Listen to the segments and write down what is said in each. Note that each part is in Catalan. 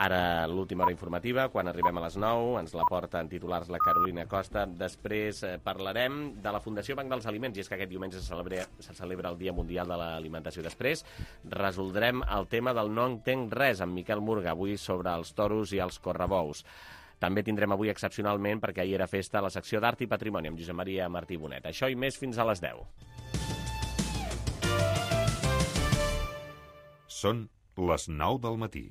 Ara l'última hora informativa, quan arribem a les 9, ens la porta en titulars la Carolina Costa. Després parlarem de la Fundació Banc dels Aliments, i és que aquest diumenge se celebra el Dia Mundial de l'Alimentació. Després resoldrem el tema del No entenc res amb Miquel Murga, avui sobre els toros i els correbous. També tindrem avui excepcionalment, perquè ahir era festa, la secció d'Art i Patrimoni amb Josep Maria Martí Bonet. Això i més fins a les 10. Són les 9 del matí.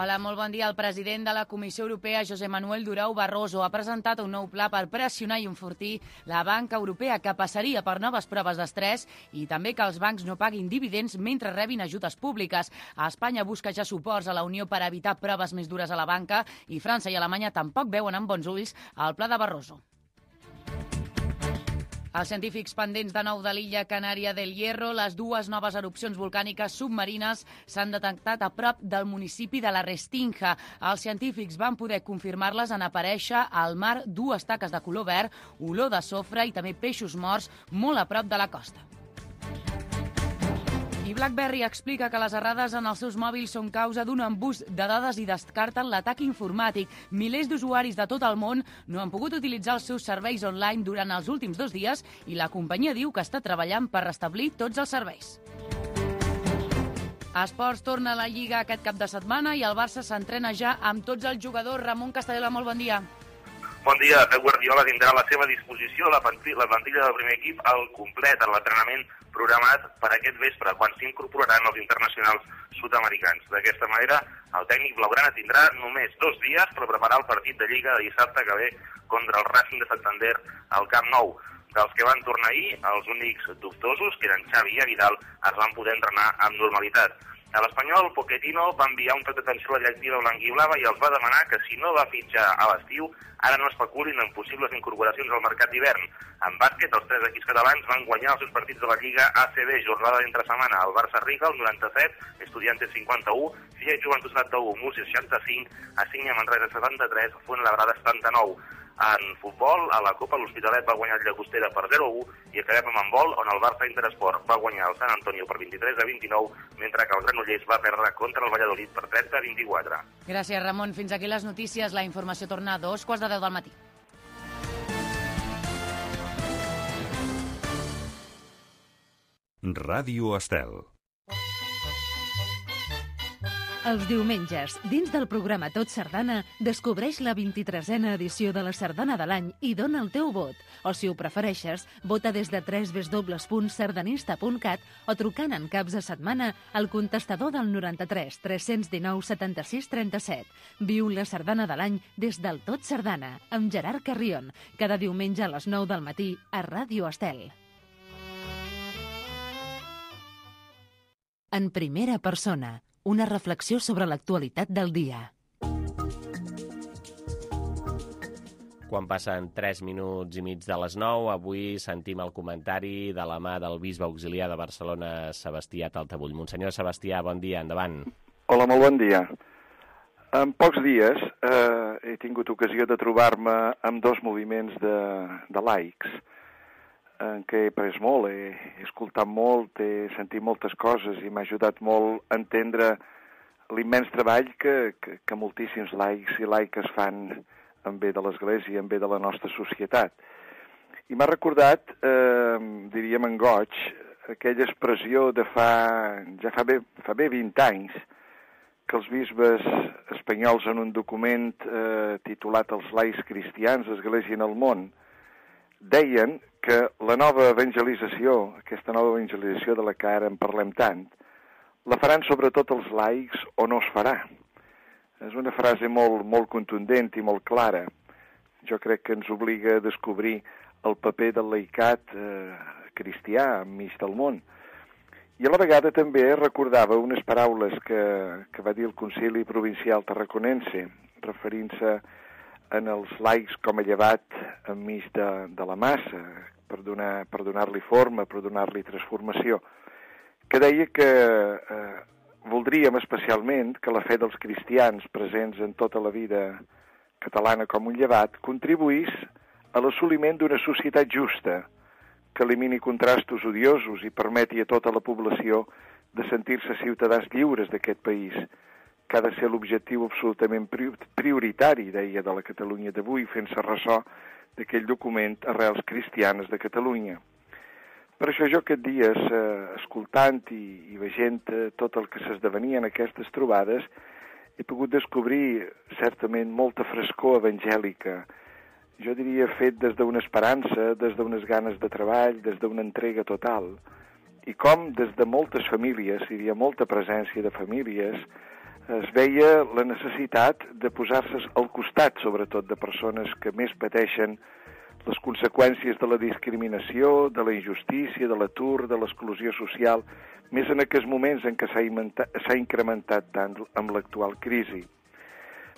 Hola, molt bon dia. El president de la Comissió Europea, José Manuel Durão Barroso, ha presentat un nou pla per pressionar i enfortir la banca europea, que passaria per noves proves d'estrès i també que els bancs no paguin dividends mentre rebin ajudes públiques. A Espanya busca ja suports a la Unió per evitar proves més dures a la banca, i França i Alemanya tampoc veuen amb bons ulls el pla de Barroso. Els científics pendents de nou de l'illa Canària del Hierro, les dues noves erupcions volcàniques submarines s'han detectat a prop del municipi de la Restinga. Els científics van poder confirmar-les en aparèixer al mar dues taques de color verd, olor de sofre i també peixos morts molt a prop de la costa. I BlackBerry explica que les errades en els seus mòbils són causa d'un embús de dades i descarten l'atac informàtic. Milers d'usuaris de tot el món no han pogut utilitzar els seus serveis online durant els últims 2 dies i la companyia diu que està treballant per restablir tots els serveis. A Esports torna a la Lliga aquest cap de setmana i el Barça s'entrena ja amb tots els jugadors. Ramon Castellola, molt bon dia. Bon dia. Pep Guardiola tindrà a la seva disposició la plantilla del primer equip al complet en l'entrenament programat per aquest vespre, quan s'incorporaran els internacionals sud-americans. D'aquesta manera, el tècnic blaugrana tindrà només 2 dies per preparar el partit de Lliga de dissabte que ve contra el Racing de Santander al Camp Nou. Dels que van tornar ahir, els únics dubtosos, que eren Xavi i Vidal, es van poder entrenar amb normalitat. A l'Espanyol, Pochettino va enviar un toc d'atenció a la directiva blanquiblava i els va demanar que, si no va fitxar a l'estiu, ara no especulin en possibles incorporacions al mercat d'hivern. En bàsquet, els 3 equips catalans van guanyar els seus partits de la Lliga ACB, jornada d'entre setmana. El Barça Riga, el 97, Estudiantes 51, Filla i Joventut 71, Múrcia 65, Assinya Manresa 73, Fuenlabrada 79. En futbol, a la Copa, l'Hospitalet va guanyar el Llagostera per 0-1 i acabem amb handbol, on el Barça Interesport va guanyar el Sant Antonio per 23-29, mentre que el Granollers va perdre contra el Valladolid per 30-24. Gràcies, Ramon. Fins aquí les notícies. La informació torna a 2:15 del matí. Ràdio Estel. Els diumenges, dins del programa Tot Sardana, descobreix la 23a edició de la Sardana de l'any i dona el teu vot. O, si ho prefereixes, vota des de www.sardanista.cat o trucant en caps de setmana al contestador del 93 319 76 37. Viu la Sardana de l'any des del Tot Sardana, amb Gerard Carrion, cada diumenge a les 9 del matí a Ràdio Estel. En primera persona, una reflexió sobre l'actualitat del dia. Quan passen 3 minuts i mig de les 9, avui sentim el comentari de la mà del bisbe auxiliar de Barcelona, Sebastià Taltabull. Monsenyor Sebastià, bon dia, endavant. Hola, molt bon dia. En pocs dies he tingut ocasió de trobar-me amb 2 moviments de laics, en què he pres molt, he escoltat molt, he sentit moltes coses i m'ha ajudat molt a entendre l'immens treball que moltíssims laics i laiques fan en bé de l'Església i en bé de la nostra societat. I m'ha recordat, diríem en goig, aquella expressió de fa bé 20 anys, que els bisbes espanyols en un document titulat Els laics cristians, l'Església en el món, deien que la nova evangelització, aquesta nova evangelització de la que ara en parlem tant, la faran sobretot els laics o no es farà. És una frase molt contundent i molt clara. Jo crec que ens obliga a descobrir el paper del laicat cristià enmig del món. I a la vegada també recordava unes paraules que va dir el Concili Provincial Tarraconense, referint-se en els laics com a llevat enmig de la massa, per donar-li forma, per donar-li transformació, que deia que voldríem especialment que la fe dels cristians presents en tota la vida catalana com un llevat contribuís a l'assoliment d'una societat justa que elimini contrastos odiosos i permeti a tota la població de sentir-se ciutadans lliures d'aquest país, que ha de ser l'objectiu absolutament prioritari, deia, de la Catalunya d'avui, fent-se ressò d'aquell document Arrels Cristianes de Catalunya. Per això jo aquests dies, escoltant i veient tot el que s'esdevenia en aquestes trobades, he pogut descobrir certament molta frescor evangèlica, jo diria fet des d'una esperança, des d'unes ganes de treball, des d'una entrega total, i com des de moltes famílies, hi havia molta presència de famílies, es veia la necessitat de posar-se al costat, sobretot, de persones que més pateixen les conseqüències de la discriminació, de la injustícia, de l'atur, de l'exclusió social, més en aquests moments en què s'ha incrementat tant amb l'actual crisi.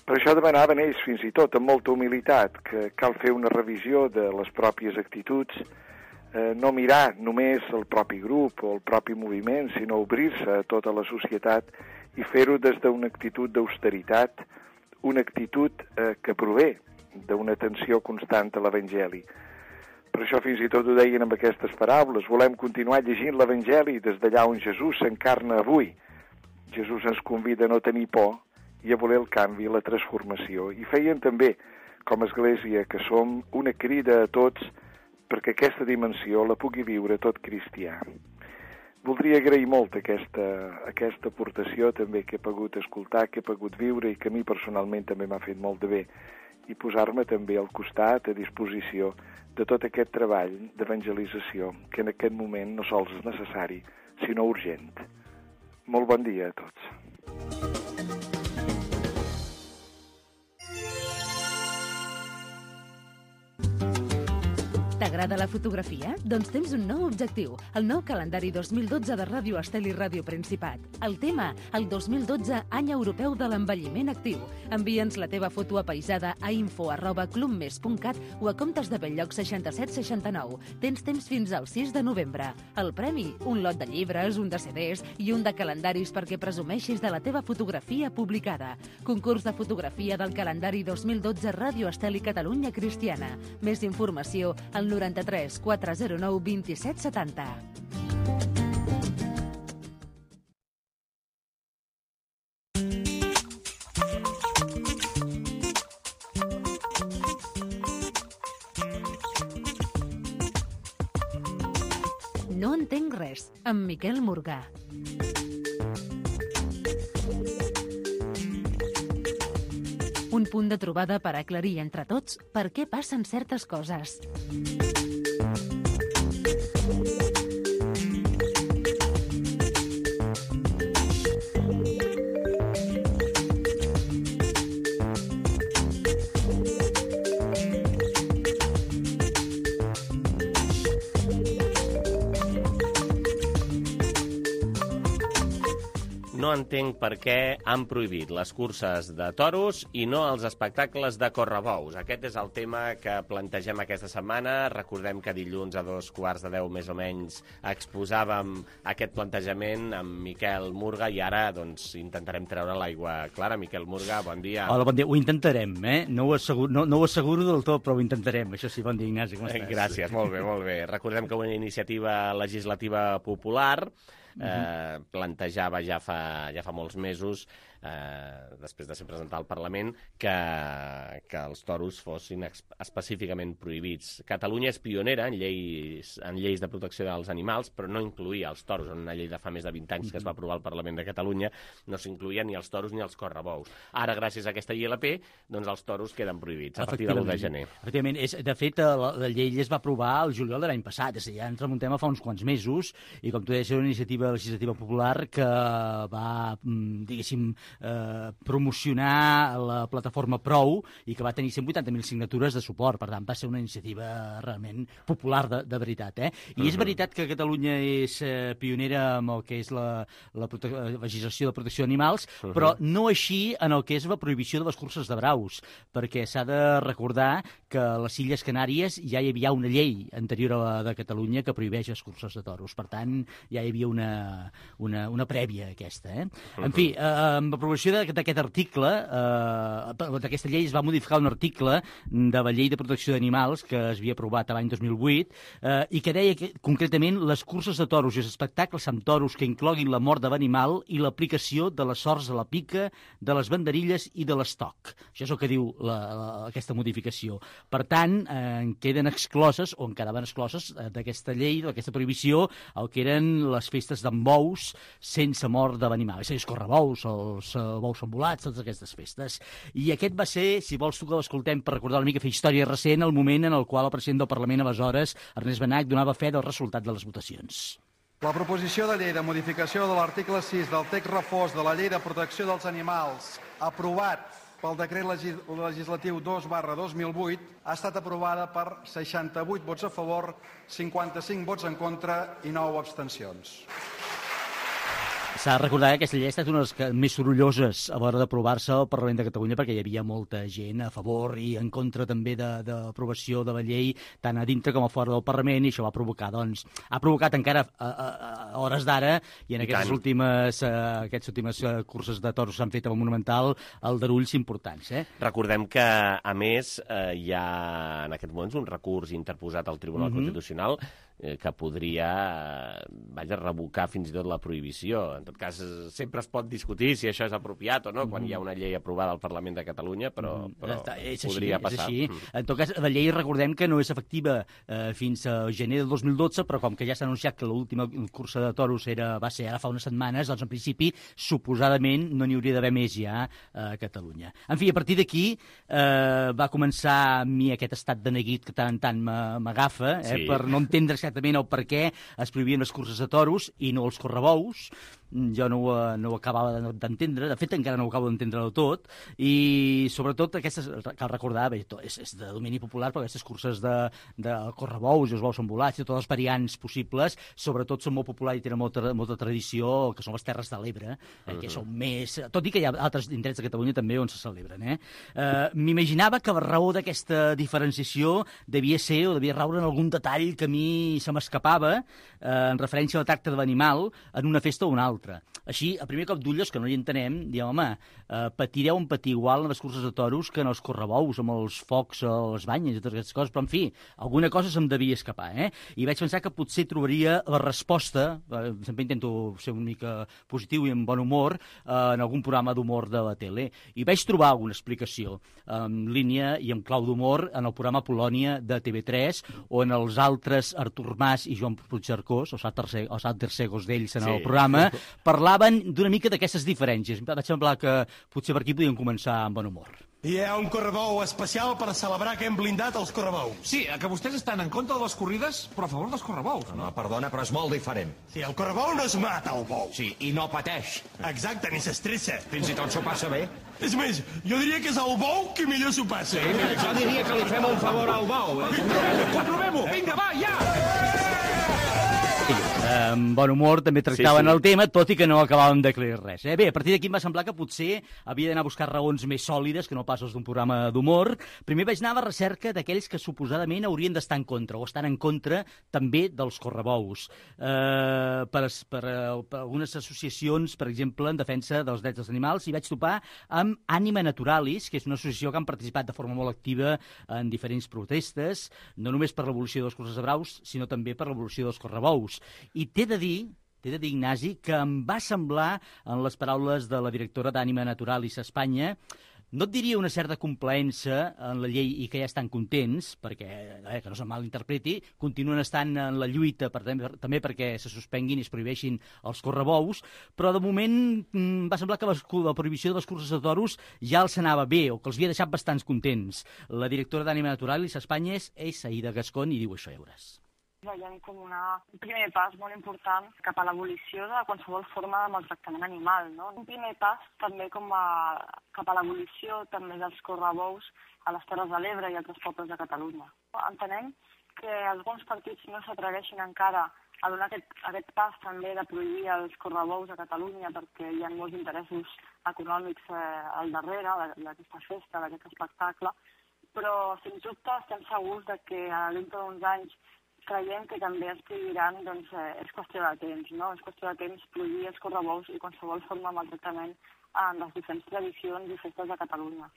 Per això demanaven ells, fins i tot, amb molta humilitat, que cal fer una revisió de les pròpies actituds, no mirar només el propi grup o el propi moviment, sinó obrir-se a tota la societat i fer-ho des d'una actitud d'austeritat, una actitud que prové d'una atenció constant a l'Evangeli. Per això fins i tot ho deien amb aquestes paraules, volem continuar llegint l'Evangeli des d'allà on Jesús s'encarna avui. Jesús ens convida a no tenir por i a voler el canvi, la transformació. I feien també, com a Església, que som una crida a tots perquè aquesta dimensió la pugui viure tot cristià. Voldria agrair molt aquesta aportació també que he pogut escoltar, que he pogut viure i que a mi personalment també m'ha fet molt de bé, i posar-me també al costat, a disposició de tot aquest treball d'evangelització que en aquest moment no sols és necessari, sinó urgent. Molt bon dia a tots. T'agrada la fotografia? Doncs tens un nou objectiu, el nou calendari 2012 de Ràdio Estel i Ràdio Principat. El tema, el 2012, any europeu de l'envelliment actiu. Envia'ns la teva foto apaisada a info@clubmes.cat o a comptes de Belllloc 6769. Tens temps fins al 6 de novembre. El premi, un lot de llibres, un de CDs i un de calendaris perquè presumeixis de la teva fotografia publicada. Concurs de fotografia del calendari 2012 Ràdio Estel i Catalunya Cristiana. Més informació al 93 409 27 70. No entenc res, amb Miquel Morgà. Un punt de trobada per aclarir entre tots per què passen certes coses. No entenc per què han prohibit les curses de toros i no els espectacles de correbous. Aquest és el tema que plantegem aquesta setmana. Recordem que dilluns a 9:45 més o menys exposàvem aquest plantejament amb Miquel Murga i ara doncs intentarem treure l'aigua clara. Miquel Murga, bon dia. Hola, bon dia. Ho intentarem, No ho asseguro del tot, però ho intentarem. Això sí, bon dia, Ignasi, com estàs? Gràcies, molt bé, molt bé. Recordem que una iniciativa legislativa popular plantejava ja fa molts mesos, després de ser presentat al Parlament, que els toros fossin específicament prohibits. Catalunya és pionera en lleis de protecció dels animals, però no incluïa els toros. En una llei de fa més de 20 anys que es va aprovar al Parlament de Catalunya no s'incluïa ni els toros ni els correbous. Ara, gràcies a aquesta ILP, doncs els toros queden prohibits a partir de l'1 de gener. Efectivament, de fet, la llei es va aprovar el juliol de l'any passat, és a dir, ja ens remuntem a fa uns quants mesos, i com tu deies, era una iniciativa legislativa popular que va, diguéssim, promocionar la plataforma Prou i que va tenir 180.000 signatures de suport. Per tant, va ser una iniciativa realment popular de veritat. I és veritat que Catalunya és pionera amb el que és la legislació de protecció d'animals, però no així en el que és la prohibició de les curses de braus, perquè s'ha de recordar que a les Illes Canàries ja hi havia una llei anterior a la de Catalunya que prohibeix les curses de toros. Per tant, ja hi havia una una prèvia aquesta. En fi, amb l'aprovació d'aquest article, d'aquesta llei es va modificar un article de la Llei de Protecció d'Animals que es havia aprovat l'any 2008 i que deia que, concretament, les curses de toros i els espectacles amb toros que incloguin la mort de l'animal i l'aplicació de les sorts a la pica, de les banderilles i de l'estoc. Això és el que diu aquesta modificació. Per tant, queden excloses, o en quedaven excloses, d'aquesta llei, d'aquesta prohibició, el que eren les festes d'en bous sense mort de l'animal. És a dir, els correbous, els bous embolats, totes aquestes festes. I aquest va ser, si vols tu que l'escoltem per recordar una mica, fer història recent, el moment en el qual el president del Parlament, aleshores, Ernest Benach, donava fe del resultat de les votacions. La proposició de llei de modificació de l'article 6 del text refós de la Llei de Protecció dels Animals, aprovat pel decret legislatiu 2/2008, ha estat aprovada per 68 vots a favor, 55 vots en contra i 9 abstencions. S'ha de recordar que aquesta llei ha estat una de les més sorolloses a l'hora d'aprovar-se al Parlament de Catalunya perquè hi havia molta gent a favor i en contra també de l'aprovació de la llei tant a dintre com a fora del Parlament, i això va provocar, doncs, ha provocat encara a hores d'ara i en aquestes últimes curses de toros s'han fet amb el Monumental aldarulls importants. Recordem que, a més, hi ha en aquest moment un recurs interposat al Tribunal Constitucional que podria revocar fins i tot la prohibició. En tot cas, sempre es pot discutir si això és apropiat o no, quan hi ha una llei aprovada al Parlament de Catalunya, però podria passar. És així. En tot cas, la llei, recordem que no és efectiva fins a gener del 2012, però com que ja s'ha anunciat que l'última cursa de toros va ser ara fa unes setmanes, doncs en principi, suposadament, no n'hi hauria d'haver més ja a Catalunya. En fi, a partir d'aquí va començar a mi aquest estat de neguit que tant en tant m'agafa, per no entendre exactament el per què es prohibien les curses de toros i no els correbous. Jo no ho acabava d'entendre, de fet encara no ho acabo d'entendre del tot, i sobretot aquestes, cal recordar, bé, és de domini popular, però aquestes curses de correbous i els bous embolats i totes les variants possibles, sobretot són molt populars i tenen molta tradició, que són les Terres de l'Ebre, que són més... Tot i que hi ha altres indrets de Catalunya també on se celebren. M'imaginava que la raó d'aquesta diferenciació devia ser o devia raure en algun detall que a mi se m'escapava en referència al tracte de l'animal en una festa o una altra. Així, a primer cop d'ull, que no hi entenem, diem, home, patireu un patir igual en les curses de toros que en els correbous, amb els focs, les banyes i totes aquestes coses, però, en fi, alguna cosa se'm devia escapar, I vaig pensar que potser trobaria la resposta, sempre intento ser una mica positiu i amb bon humor, en algun programa d'humor de la tele, i vaig trobar alguna explicació en línia i en clau d'humor en el programa Polònia de TV3, on els altres Artur Mas i Joan Puigcercós, els altres segos d'ells en el programa, parlaven d'una mica d'aquestes diferències. Em va semblar que potser per aquí podíem començar amb bon humor. Hi ha un correbou especial per celebrar que hem blindat els correbous. Sí, que vostès estan en contra de les corrides, però a favor dels correbous. No, perdona, però és molt diferent. Sí, el correbou no es mata, el bou. Sí, i no pateix. Exacte, ni s'estressa. Fins i tot s'ho passa bé. És més, jo diria que és el bou qui millor s'ho passa. Sí, mira, jo diria que li fem un favor al bou. Comprovem-ho! Vinga, va, ja! Amb bon humor també tractaven el tema, tot i que no acabàvem d'aclarir res. Bé, a partir d'aquí em va semblar que potser havia d'anar a buscar raons més sòlides que no pas els d'un programa d'humor. Primer vaig anar a la recerca d'aquells que suposadament haurien d'estar en contra, o estan en contra també dels correbous. Per algunes associacions, per exemple, en defensa dels drets dels animals, i vaig topar amb Anima Naturalis, que és una associació que han participat de forma molt activa en diferents protestes, no només per l'evolució dels curses de braus, sinó també per l'evolució dels correbous. I t'he de dir, Ignasi, que em va semblar, en les paraules de la directora d'Anima Naturalis a Espanya, no et diria una certa complaença en la llei i que ja estan contents, perquè, que no se'm malinterpreti, continuen estant en la lluita també perquè se suspenguin i es prohibeixin els correbous, però de moment va semblar que la prohibició de les curses de toros ja els anava bé, o que els havia deixat bastants contents. La directora d'Anima Naturalis a Espanya és Aida Gascón i diu això, ja veuràs. Veiem com un primer pas molt important cap a l'abolició de qualsevol forma de maltractament animal, no? Un primer pas també cap a l'abolició també dels correbous a les Terres de l'Ebre i altres pobles de Catalunya. Entenem que alguns partits no s'atreveixin encara a donar aquest pas també de prohibir els correbous a Catalunya perquè hi ha molts interessos econòmics al darrere d'aquesta festa, d'aquest espectacle, però sens dubte estem segurs que dintre d'uns anys creiem que també es prohibiran, doncs, és qüestió de temps, no? És qüestió de temps prohibir els correbous i qualsevol forma de maltractament en les diferents tradicions i festes de Catalunya.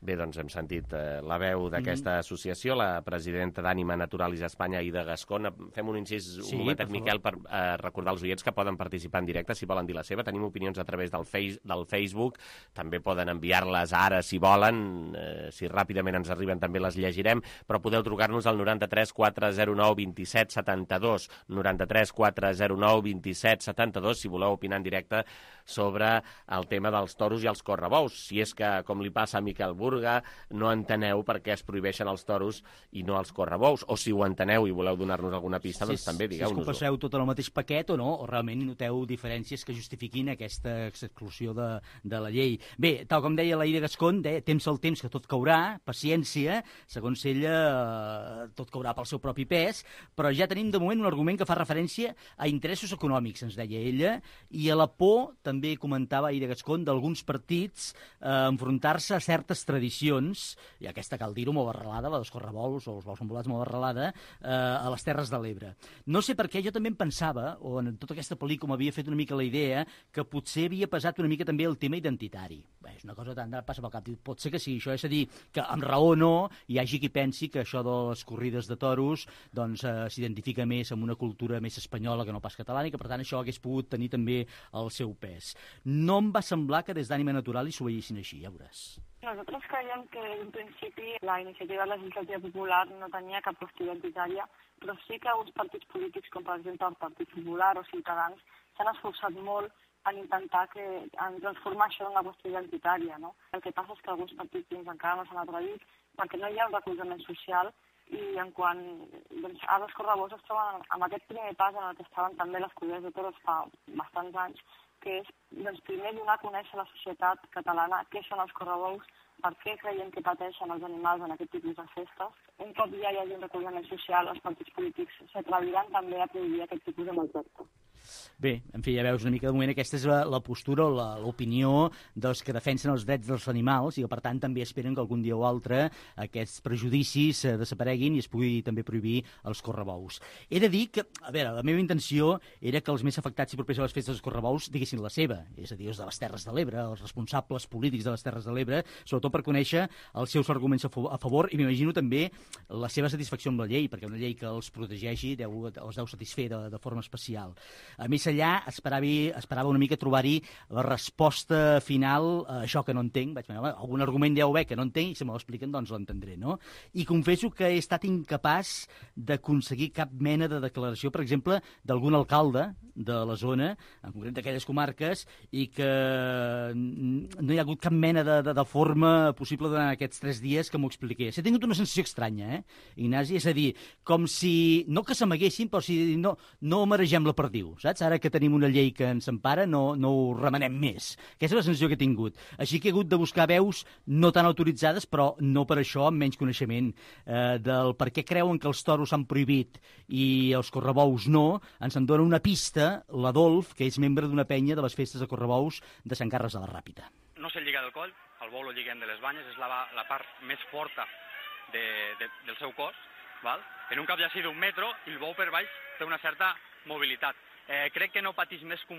Bé, doncs hem sentit la veu d'aquesta associació, la presidenta d'Ànima Naturalis Espanya, Aida Gascón. Fem un incís un momentet, Miquel, per recordar als oients que poden participar en directe si volen dir la seva. Tenim opinions a través del Facebook, també poden enviar-les ara si volen, si ràpidament ens arriben també les llegirem, però podeu trucar-nos al 93 409 27 72, 93 409 27 72, si voleu opinar en directe sobre el tema dels toros i els correbous. Si és que, com li passa a Miquel Burga, no enteneu per què es prohibeixen els toros i no els correbous, o si ho enteneu i voleu donar-nos alguna pista, doncs també digueu-nos-ho. Si és que ho passeu tot en el mateix paquet o no, o realment noteu diferències que justifiquin aquesta exclusió de la llei. Bé, tal com deia l'Aida Gascón, temps al temps que tot caurà, paciència, segons ella tot caurà pel seu propi pes, però ja tenim de moment un argument que fa referència a interessos econòmics, ens deia ella, i a la por, també comentava Aida Gascón, d'alguns partits enfrontar-se a certes tradicions, i aquesta cal dir-ho molt arrelada, la dels correbous o els bous embolats molt arrelada, a les Terres de l'Ebre. No sé per què, jo també em pensava, o en tota aquesta pel·lícula m'havia fet una mica la idea, que potser havia pesat una mica també el tema identitari. Bé, és una cosa tant passa pel cap. Pot ser que sí, això és a dir, que amb raó no, hi hagi qui pensi que això de les corrides de toros doncs s'identifica més amb una cultura més espanyola que no pas catalana i que per tant això hagués pogut tenir també el seu pes. No em va semblar que des d'Ànima Naturalis s'ho veiessin així, ja veuràs. Nosaltres creiem que en principi la iniciativa legislativa popular no tenia cap qüestió identitària, però sí que uns partits polítics, com per exemple el Partit Popular o Ciutadans, s'han esforçat molt en intentar en transformar això en una qüestió identitària, no? El que passa és que alguns partits encara no s'han atrevit perquè no hi ha un recolzament social i en quant ara els correbous es troben amb aquest primer pas en el que estaven també les corrides de toros fa bastants anys, que és primer donar a conèixer a la societat catalana què són els correbous, per què creiem que pateixen els animals en aquest tipus de festes. Un cop ja hi hagi un recolzament social, els partits polítics s'atreviran també a prohibir aquest tipus de maltracte. Bé, en fi, ja veus una mica de moment aquesta és la postura o l'opinió dels que defensen els drets dels animals i que per tant també esperen que algun dia o altre aquests prejudicis desapareguin i es pugui també prohibir els correbous. He de dir que, a veure, la meva intenció era que els més afectats i propers a les festes dels correbous diguessin la seva, és a dir, els de les Terres de l'Ebre, els responsables polítics de les Terres de l'Ebre, sobretot per conèixer els seus arguments a favor i m'imagino també la seva satisfacció amb la llei, perquè una llei que els protegeixi els deu satisfer de forma especial. Més allà, esperava una mica trobar-hi la resposta final a això que no entenc. Vaig pensar, algun argument deu haver que no entenc i si me l'expliquen doncs l'entendré, no? I confesso que he estat incapaç d'aconseguir cap mena de declaració, per exemple, d'algun alcalde de la zona, en concret d'aquelles comarques, i que no hi ha hagut cap mena de forma possible durant aquests 3 dies que m'ho expliqués. He tingut una sensació estranya, Ignasi? És a dir, com si, no que s'amaguessin, però si no maregem la perdiu, saps? Ara que tenim una llei que ens empara, no ho remenem més. Aquesta és la sensació que he tingut. Així que he hagut de buscar veus no tan autoritzades, però no per això amb menys coneixement del per què creuen que els toros s'han prohibit i els correbous no. Ens en dona una pista l'Adolf, que és membre d'una penya de les festes de correbous de Sant Carles de la Ràpita. No se'l lliga del coll, el bou lo lliguem de les banyes, és la part més forta del seu cos, val? En un cap llací d'1 metro i el bou per baix té una certa mobilitat. Crec que no patís més que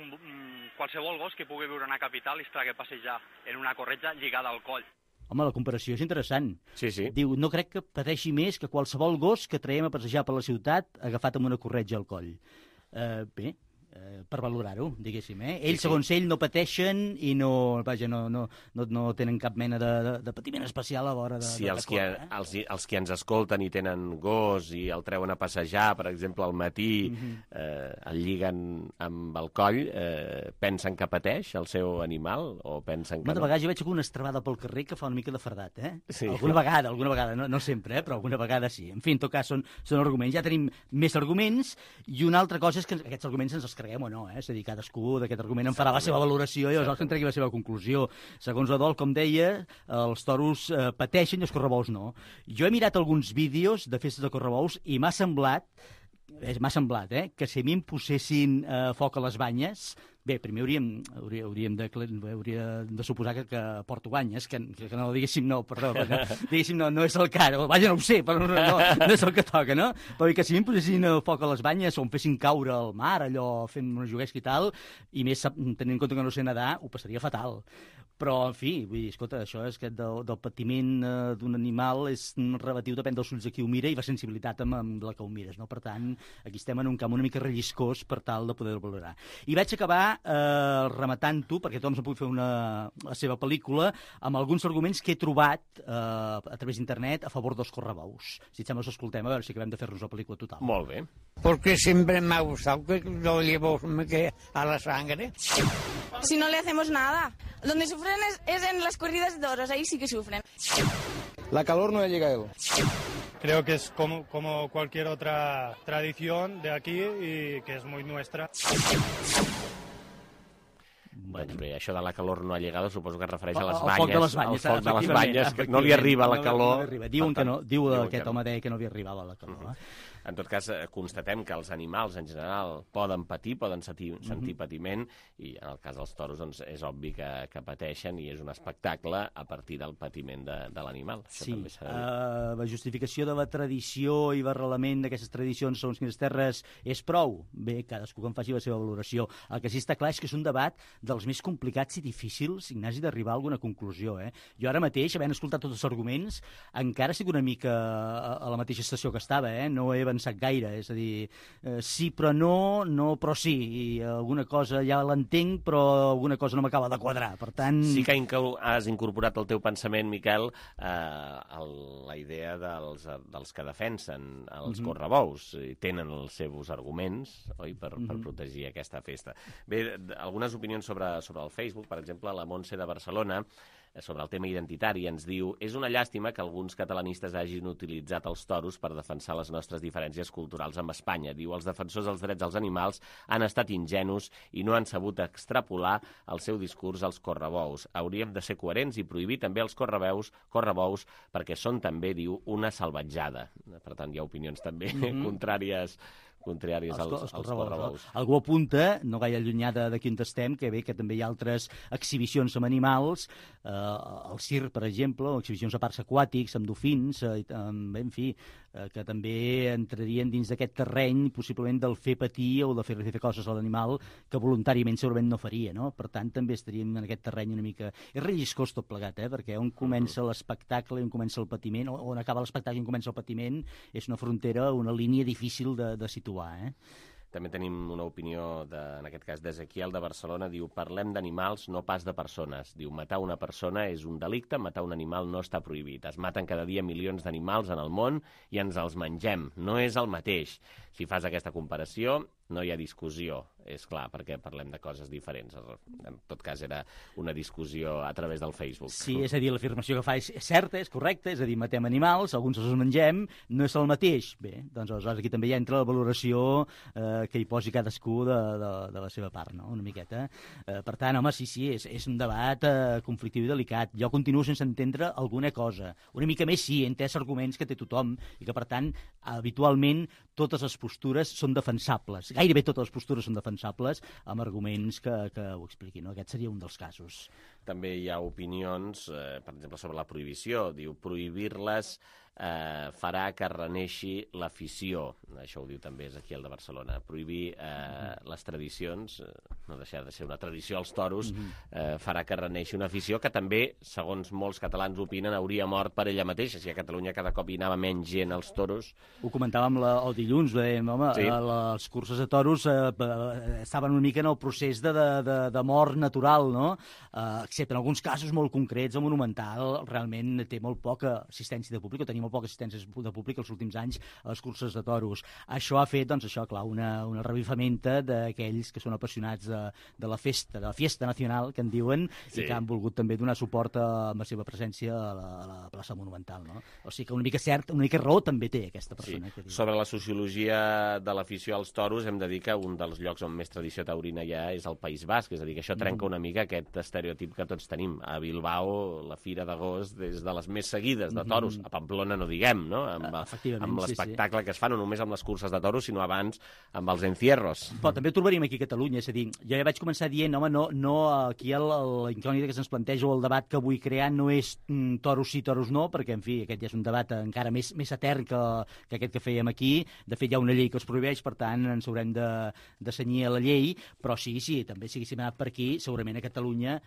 qualsevol gos que pugui viure en una capital i es tragui a passejar en una corretja lligada al coll. Home, la comparació és interessant. Sí. Diu, no crec que pateixi més que qualsevol gos que traiem a passejar per la ciutat agafat amb una corretja al coll. Bé, per valorar-ho, diguéssim. Ells, segons ell, no pateixen i no tenen cap mena de patiment especial a l'hora de... Sí, els que ens escolten i tenen gos i el treuen a passejar, per exemple, al matí, el lliguen amb el coll, pensen que pateix el seu animal o pensen que no? De vegades jo veig alguna estrabada pel carrer que fa una mica de fardat, Sí. Alguna vegada, no sempre, però alguna vegada sí. En fi, en tot cas, són arguments. Ja tenim més arguments i una altra cosa és que aquests arguments ens els creguem o no, és a dir, cadascú d'aquest argument en farà la seva valoració i aleshores en tregui la seva conclusió. Segons Adol, com deia, els toros pateixen i els correbous no. Jo he mirat alguns vídeos de festes de correbous i m'ha semblat que si a mi em posessin foc a les banyes, Bé, primer hauríem de suposar que Porto guanyes, que no, diguéssim no, perdó, diguéssim no és el cas, vaja, no ho sé, però no és el que toca, no? Però que si em posessin foc a les banyes o em fessin caure al mar, allò, fent una juguesca i tal, i més tenint en compte que no sé nedar, ho passaria fatal. Però, en fi, vull dir, escolta, això és que del patiment d'un animal és relatiu, depèn dels ulls de qui ho mira i la sensibilitat amb la que ho mires, no? Per tant, aquí estem en un camp una mica relliscós per tal de poder-ho valorar. I vaig acabar rematant-ho, perquè tothom s'ha pogut fer la seva pel·lícula, amb alguns arguments que he trobat a través d'internet a favor dels correbous. Si et sembla, escoltem, a veure si acabem de fer-nos la pel·lícula total. Molt bé. Porque siempre me ha gustado que lo llevo a la sangre. Si no le hacemos nada. Donde sufren es en las corridas de toros, ahí sí que sufren. La calor no llega a él. Creo que es como cualquier otra tradición de aquí y que es muy nuestra. Doncs bé, això de la calor no ha llegado, suposo que es refereix a les banyes. Al foc de les banyes, que no li arriba la calor. Diu aquest home deia que no li arribava la calor. En tot cas, constatem que els animals en general poden patir, poden sentir patiment, i en el cas dels toros doncs, és obvi que pateixen i és un espectacle a partir del patiment de l'animal. Sí, la justificació de la tradició i l'arrelament d'aquestes tradicions segons quines terres és prou. Bé, cadascú que en faci la seva valoració. El que sí està clar és que és un debat dels més complicats i difícils, Ignasi, d'arribar a alguna conclusió. Jo ara mateix, havent escoltat tots els arguments, encara estic una mica a la mateixa estació que estava, no he avançat gaire, és a dir, sí però no però sí, i alguna cosa ja l'entenc, però alguna cosa no m'acaba de quadrar, per tant... Sí que has incorporat al teu pensament, Miquel, la idea dels que defensen els correbous, tenen els seus arguments, oi, per protegir aquesta festa. Bé, algunes opinions sobre el Facebook, per exemple, la Montse de Barcelona, sobre el tema identitari, ens diu: és una llàstima que alguns catalanistes hagin utilitzat els toros per defensar les nostres diferències culturals amb Espanya. Diu, els defensors dels drets dels animals han estat ingenus i no han sabut extrapolar el seu discurs als correbous. Hauríem de ser coherents i prohibir també els correbous perquè són també, diu, una salvatjada. Per tant, hi ha opinions també contràries als correbous. Algú apunta, no gaire allunyada d'aquí on estem, que bé, que també hi ha altres exhibicions amb animals, el circ, per exemple, o exhibicions a parcs aquàtics, amb dofins, en fi, que també entrarien dins d'aquest terreny, possiblement del fer patir o de fer coses a l'animal que voluntàriament segurament no faria, no? Per tant, també estaríem en aquest terreny una mica... És relliscós tot plegat, perquè on comença l'espectacle i on comença el patiment, on acaba l'espectacle i on comença el patiment, és una frontera, una línia difícil de situar. També tenim una opinió, en aquest cas d'Ezequiel de Barcelona, diu: parlem d'animals, no pas de persones. Diu, matar una persona és un delicte, matar un animal no està prohibit. Es maten cada dia milions d'animals en el món i ens els mengem. No és el mateix. Si fas aquesta comparació, no hi ha discussió, és clar, perquè parlem de coses diferents. En tot cas, era una discussió a través del Facebook. Sí, és a dir, l'afirmació que fa és certa, és correcta, és a dir, matem animals, alguns els mengem, no és el mateix. Bé, doncs aleshores aquí també hi entra la valoració que hi posi cadascú de la seva part, no?, una miqueta. Per tant, home, sí, és un debat conflictiu i delicat. Jo continuo sense entendre alguna cosa. Una mica més sí, he entès arguments que té tothom i que, per tant, habitualment totes les postures són defensables. Gairebé totes les postures són defensables amb arguments que ho expliquin, no? Aquest seria un dels casos. També hi ha opinions, per exemple, sobre la prohibició. Diu, prohibir-les farà que reneixi l'afició. Això ho diu també Ezequiel de Barcelona. Prohibir les tradicions, no deixar de ser una tradició als toros, farà que reneixi una afició que també, segons molts catalans opinen, hauria mort per ella mateixa. Si a Catalunya cada cop hi anava menys gent als toros... Ho comentàvem el dilluns, dèiem, home, sí. Les curses de toros estaven una mica en el procés de mort natural, no? Excepte en alguns casos molt concrets, el Monumental realment té molt poca assistència de públic, o tenia molt poca assistència de públic els últims anys a les curses de toros. Això ha fet, doncs, això, clar, una revifamenta d'aquells que són apassionats de la fiesta nacional, que en diuen, sí, i que han volgut també donar suport amb la seva presència a la plaça Monumental, no? O sigui que una mica raó també té aquesta persona. Sí. Sobre la sociologia de l'afició als toros, hem de dir que un dels llocs on més tradició taurina hi ha és el País Basc, és a dir, que això trenca una mica aquest estereotip que tots tenim. A Bilbao, la Fira d'Agost és de les més seguides de toros. A Pamplona setmana no diguem, no? Amb l'espectacle que es fa, no només amb les curses de toros, sinó abans amb els encierros. Però també ho trobaríem aquí a Catalunya, és a dir, jo ja vaig començar dient, home, no aquí la incògnita que se'ns planteja o el debat que vull crear no és toros sí, toros no, perquè, en fi, aquest ja és un debat encara més etern que aquest que fèiem aquí. De fet, hi ha una llei que els prohibeix, per tant, ens haurem de cenyir a la llei, però sí, també si haguéssim anat per aquí, segurament a Catalunya,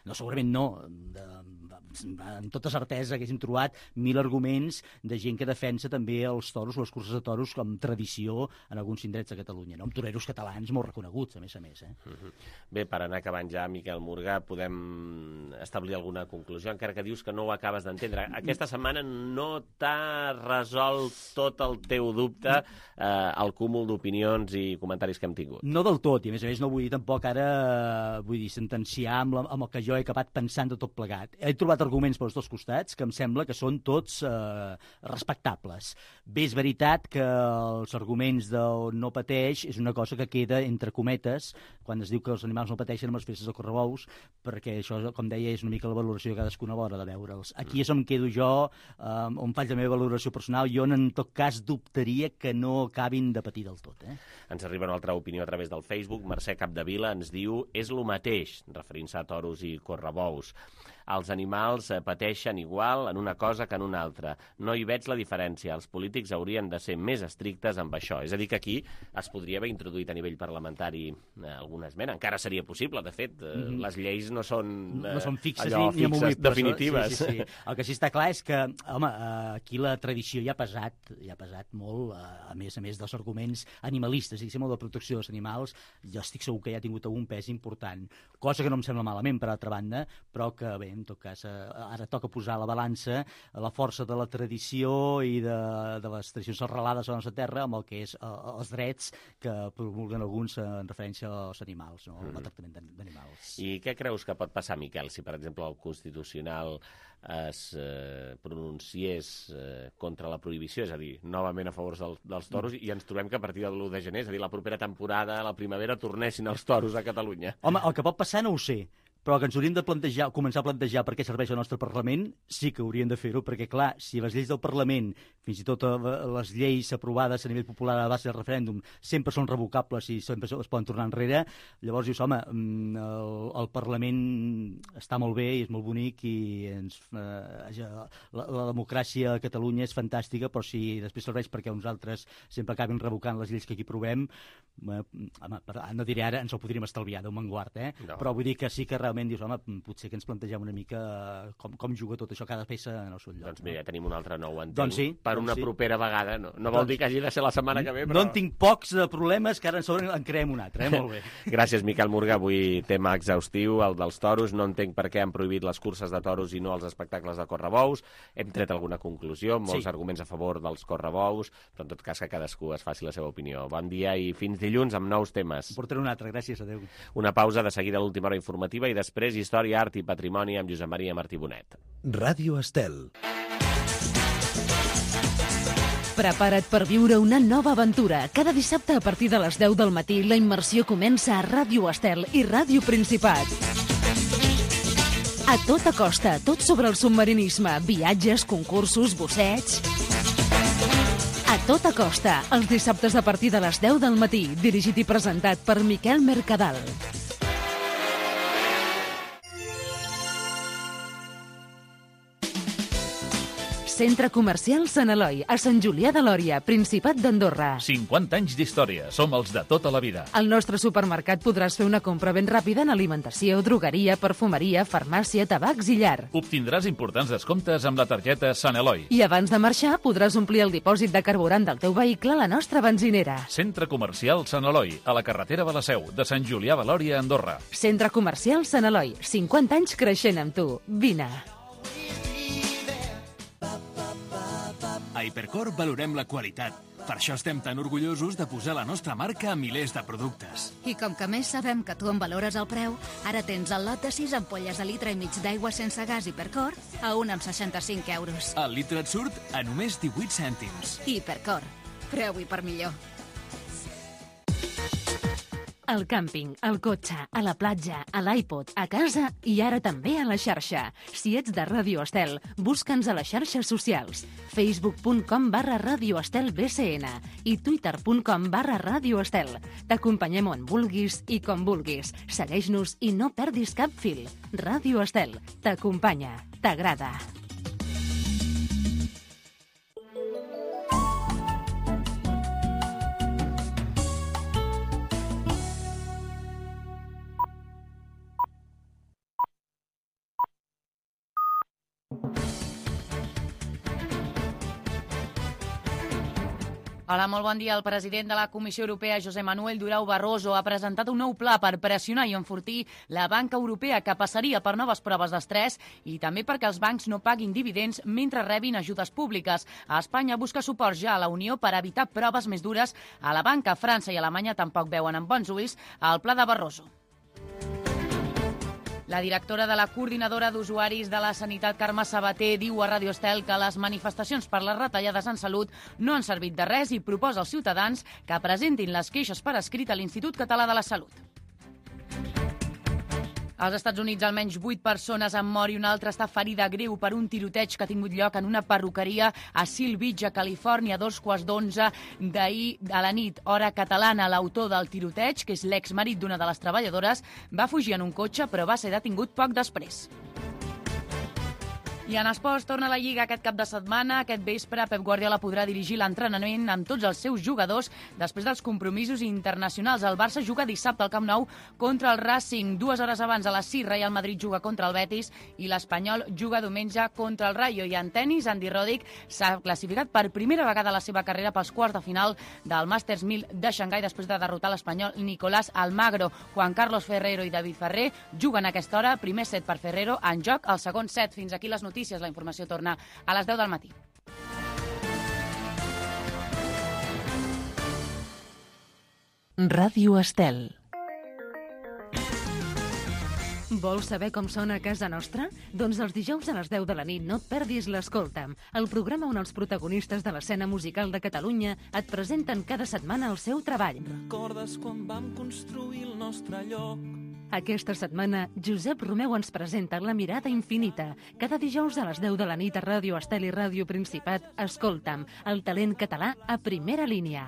amb tota certesa haguéssim trobat 1000 arguments de gent que defensa també els toros, les curses de toros, com tradició en alguns indrets de Catalunya, no? Amb toreros catalans molt reconeguts, a més. Bé, per anar acabant ja, Miquel Morgà, podem establir alguna conclusió, encara que dius que no ho acabes d'entendre. Aquesta setmana no t'ha resolt tot el teu dubte el cúmul d'opinions i comentaris que hem tingut. No del tot, i a més no vull dir tampoc ara sentenciar amb el que jo he acabat pensant de tot plegat. He trobat arguments pels dos costats que em sembla que són tots respectables. Bé, és veritat que els arguments del no pateix és una cosa que queda entre cometes quan es diu que els animals no pateixen amb les festes de correbous, perquè això, com deia, és una mica la valoració de cadascuna a l'hora de veure'ls. Aquí és on quedo jo, on faig la meva valoració personal. Jo, en tot cas, dubtaria que no acabin de patir del tot. Ens arriba una altra opinió a través del Facebook. Mercè Capdevila ens diu: és lo mateix, referint-se a toros i correbous. Els animals pateixen igual en una cosa que en una altra. No hi veig la diferència. Els polítics haurien de ser més estrictes amb això. És a dir, que aquí es podria haver introduït a nivell parlamentari alguna esmena. Encara seria possible, de fet. Les lleis no són fixes allò ni fixes, definitives. Sí. El que sí està clar és que, home, aquí la tradició ja ha pesat molt, a més dels arguments animalistes, diguéssim, o de protecció dels animals. Jo estic segur que ja ha tingut algun pes important. Cosa que no em sembla malament, per altra banda, però que, bé, en tot cas, ara toca posar a la balança la força de la tradició i de les tradicions arrelades a la nostra terra amb el que és els drets que promulguen alguns en referència als animals, no? El tractament d'animals. I què creus que pot passar, Miquel, si, per exemple, el Constitucional es pronunciés contra la prohibició, és a dir, novament a favor dels toros, i ens trobem que a partir de l'1 de gener, és a dir, la propera temporada, a la primavera, tornessin els toros a Catalunya? Home, el que pot passar no ho sé, però que ens hauríem de començar a plantejar per què serveix el nostre Parlament, sí que hauríem de fer-ho, perquè, clar, si les lleis del Parlament, fins i tot les lleis aprovades a nivell popular a base del referèndum, sempre són revocables i sempre es poden tornar enrere, llavors dius, home, el Parlament està molt bé i és molt bonic i la democràcia a Catalunya és fantàstica, però si després serveix perquè uns altres sempre acabin revocant les lleis que aquí provem, home, no diré ara, ens ho podríem estalviar, Déu me'n guard, no. Però vull dir que sí que realment dius, home, potser que ens plantegem una mica com juga tot això, cada peça en el seu lloc. Doncs mira, tenim un altre nou entenc. Doncs sí. Per una propera vegada, no vol dir que hagi de ser la setmana que ve, però... No en tinc pocs de problemes, que ara en creem un altre, molt bé. Gràcies, Miquel Morgà. Avui tema exhaustiu, el dels toros. No entenc per què han prohibit les curses de toros i no els espectacles de correbous. Hem tret alguna conclusió, molts arguments a favor dels correbous, però en tot cas que cadascú es faci la seva opinió. Bon dia i fins dilluns amb nous temes. Portaré un altre, gràcies, adéu. Una pausa, de seguida l'última hora informativa i després Història, Art i Patrimoni amb Josep Maria Martí Bonet. Ràdio Estel. Prepara't per viure una nova aventura. Cada dissabte a partir de les 10 del matí la immersió comença a Ràdio Estel i Ràdio Principat. A tota costa, tot sobre el submarinisme, viatges, concursos, busseig... A tota costa, els dissabtes a partir de les 10 del matí, dirigit i presentat per Miquel Mercadal. Centre Comercial Sant Eloi, a Sant Julià de Lòria, Principat d'Andorra. 50 anys d'història, som els de tota la vida. Al nostre supermercat podràs fer una compra ben ràpida en alimentació, drogueria, perfumeria, farmàcia, tabacs i llar. Obtindràs importants descomptes amb la targeta Sant Eloi. I abans de marxar podràs omplir el dipòsit de carburant del teu vehicle a la nostra benzinera. Centre Comercial Sant Eloi, a la carretera de la Seu, de Sant Julià de Lòria, Andorra. Centre Comercial Sant Eloi, 50 anys creixent amb tu. Vine. A Hipercor valorem la qualitat. Per això estem tan orgullosos de posar la nostra marca a milers de productes. I com que més sabem que tu en valores el preu, ara tens el lot de 6 ampolles de litre i mig d'aigua sense gas Hipercor a 1,65 euros. El litre et surt a només 18 cèntims. Hipercor. Preu i per millor. Al càmping, al cotxe, a la platja, a l'iPod, a casa i ara també a la xarxa. Si ets de Ràdio Estel, busca'ns a les xarxes socials. facebook.com/Ràdio Estel BCN i twitter.com/Ràdio Estel. T'acompanyem on vulguis i com vulguis. Segueix-nos i no perdis cap fil. Ràdio Estel t'acompanya, t'agrada. Hola, molt bon dia. El president de la Comissió Europea, José Manuel Durão Barroso, ha presentat un nou pla per pressionar i enfortir la banca europea, que passaria per noves proves d'estrès i també perquè els bancs no paguin dividends mentre rebin ajudes públiques. A Espanya busca suport ja a la Unió per evitar proves més dures a la banca. França i Alemanya tampoc veuen amb bons ulls el pla de Barroso. La directora de la Coordinadora d'Usuaris de la Sanitat, Carme Sabater, diu a Ràdio Estel que les manifestacions per les retallades en salut no han servit de res i proposa als ciutadans que presentin les queixes per escrit a l'Institut Català de la Salut. Als Estats Units, almenys 8 persones han mort i una altra està ferida greu per un tiroteig que ha tingut lloc en una perruqueria a Seal Beach, a Califòrnia, a 11:15 d'ahir a la nit, hora catalana. L'autor del tiroteig, que és l'exmarit d'una de les treballadores, va fugir en un cotxe però va ser detingut poc després. I en esports torna la Lliga aquest cap de setmana. Aquest vespre Pep Guardiola podrà dirigir l'entrenament amb tots els seus jugadors després dels compromisos internacionals. El Barça juga dissabte al Camp Nou contra el Racing. 2 hores abans, a les 6, Real Madrid juga contra el Betis i l'Espanyol juga diumenge contra el Rayo. I en tennis, Andy Roddick s'ha classificat per primera vegada a la seva carrera pels quarts de final del Masters 1000 de Xangai després de derrotar l'espanyol Nicolás Almagro. Juan Carlos Ferrero i David Ferrer juguen a aquesta hora. Primer set per Ferrero, en joc el segon set. Fins aquí les notícies. La informació torna a les 10 del matí. Ràdio Estel. Vols saber com sona a casa nostra? Doncs els dijous a les 10 de la nit no et perdis l'Escolta'm, el programa on els protagonistes de l'escena musical de Catalunya et presenten cada setmana el seu treball. Recordes quan vam construir el nostre lloc? Aquesta setmana, Josep Romeu ens presenta La mirada infinita. Cada dijous a les 10 de la nit a Ràdio Estel i Ràdio Principat, Escolta'm, el talent català a primera línia.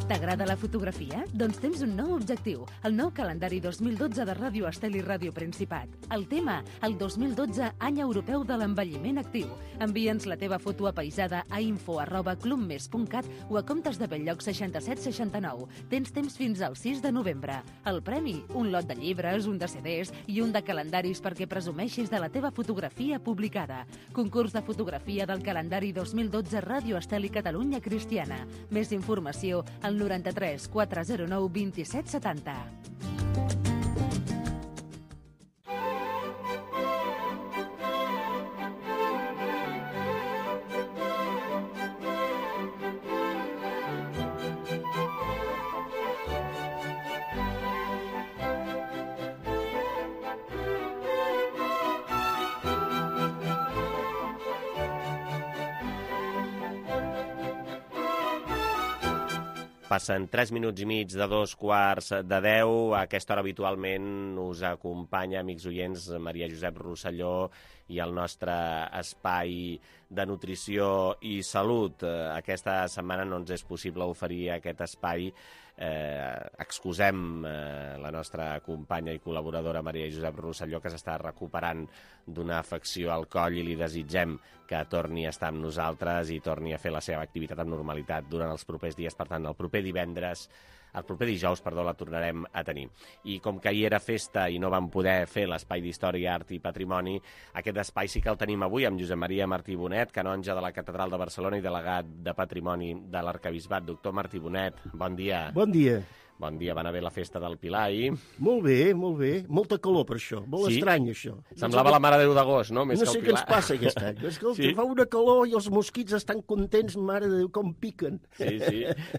T'agrada la fotografia? Doncs tens un nou objectiu, el nou calendari 2012 de Ràdio Estel i Ràdio Principat. El tema, el 2012 Any Europeu de l'Envelliment Actiu. Envia'ns la teva foto apaisada a info@clubmes.cat o a comptes de Belllloc 6769. Tens temps fins al 6 de novembre. El premi, un lot de llibres, un de CDs i un de calendaris perquè presumeixis de la teva fotografia publicada. Concurs de fotografia del calendari 2012 Ràdio Estel i Catalunya Cristiana. Més informació al 93 409 27 70. Passen 3 minuts i mig de 9:15. A aquesta hora habitualment us acompanya, amics oients, Maria Josep Rosselló i el nostre espai de nutrició i salut. Aquesta setmana no ens és possible oferir aquest espai. Excusem la nostra companya i col·laboradora Maria Josep Rosselló, que s'està recuperant d'una afecció al coll, i li desitgem que torni a estar amb nosaltres i torni a fer la seva activitat amb normalitat durant els propers dies. Per tant, el proper dijous, la tornarem a tenir. I com que ahir era festa i no vam poder fer l'espai d'Història, Art i Patrimoni, aquest espai sí que el tenim avui amb Josep Maria Martí Bonet, canonge de la Catedral de Barcelona i delegat de Patrimoni de l'Arquebisbat. Doctor Martí Bonet, bon dia. Bon dia. Bon dia, va anar bé la festa del Pilar ahir? Molt bé, molt bé. Molta calor per això, molt estrany això. Semblava la Mare de Déu d'agost, no? No sé què ens passa aquest any. Escolta, fa una calor i els mosquits estan contents, Mare de Déu, com piquen. Sí.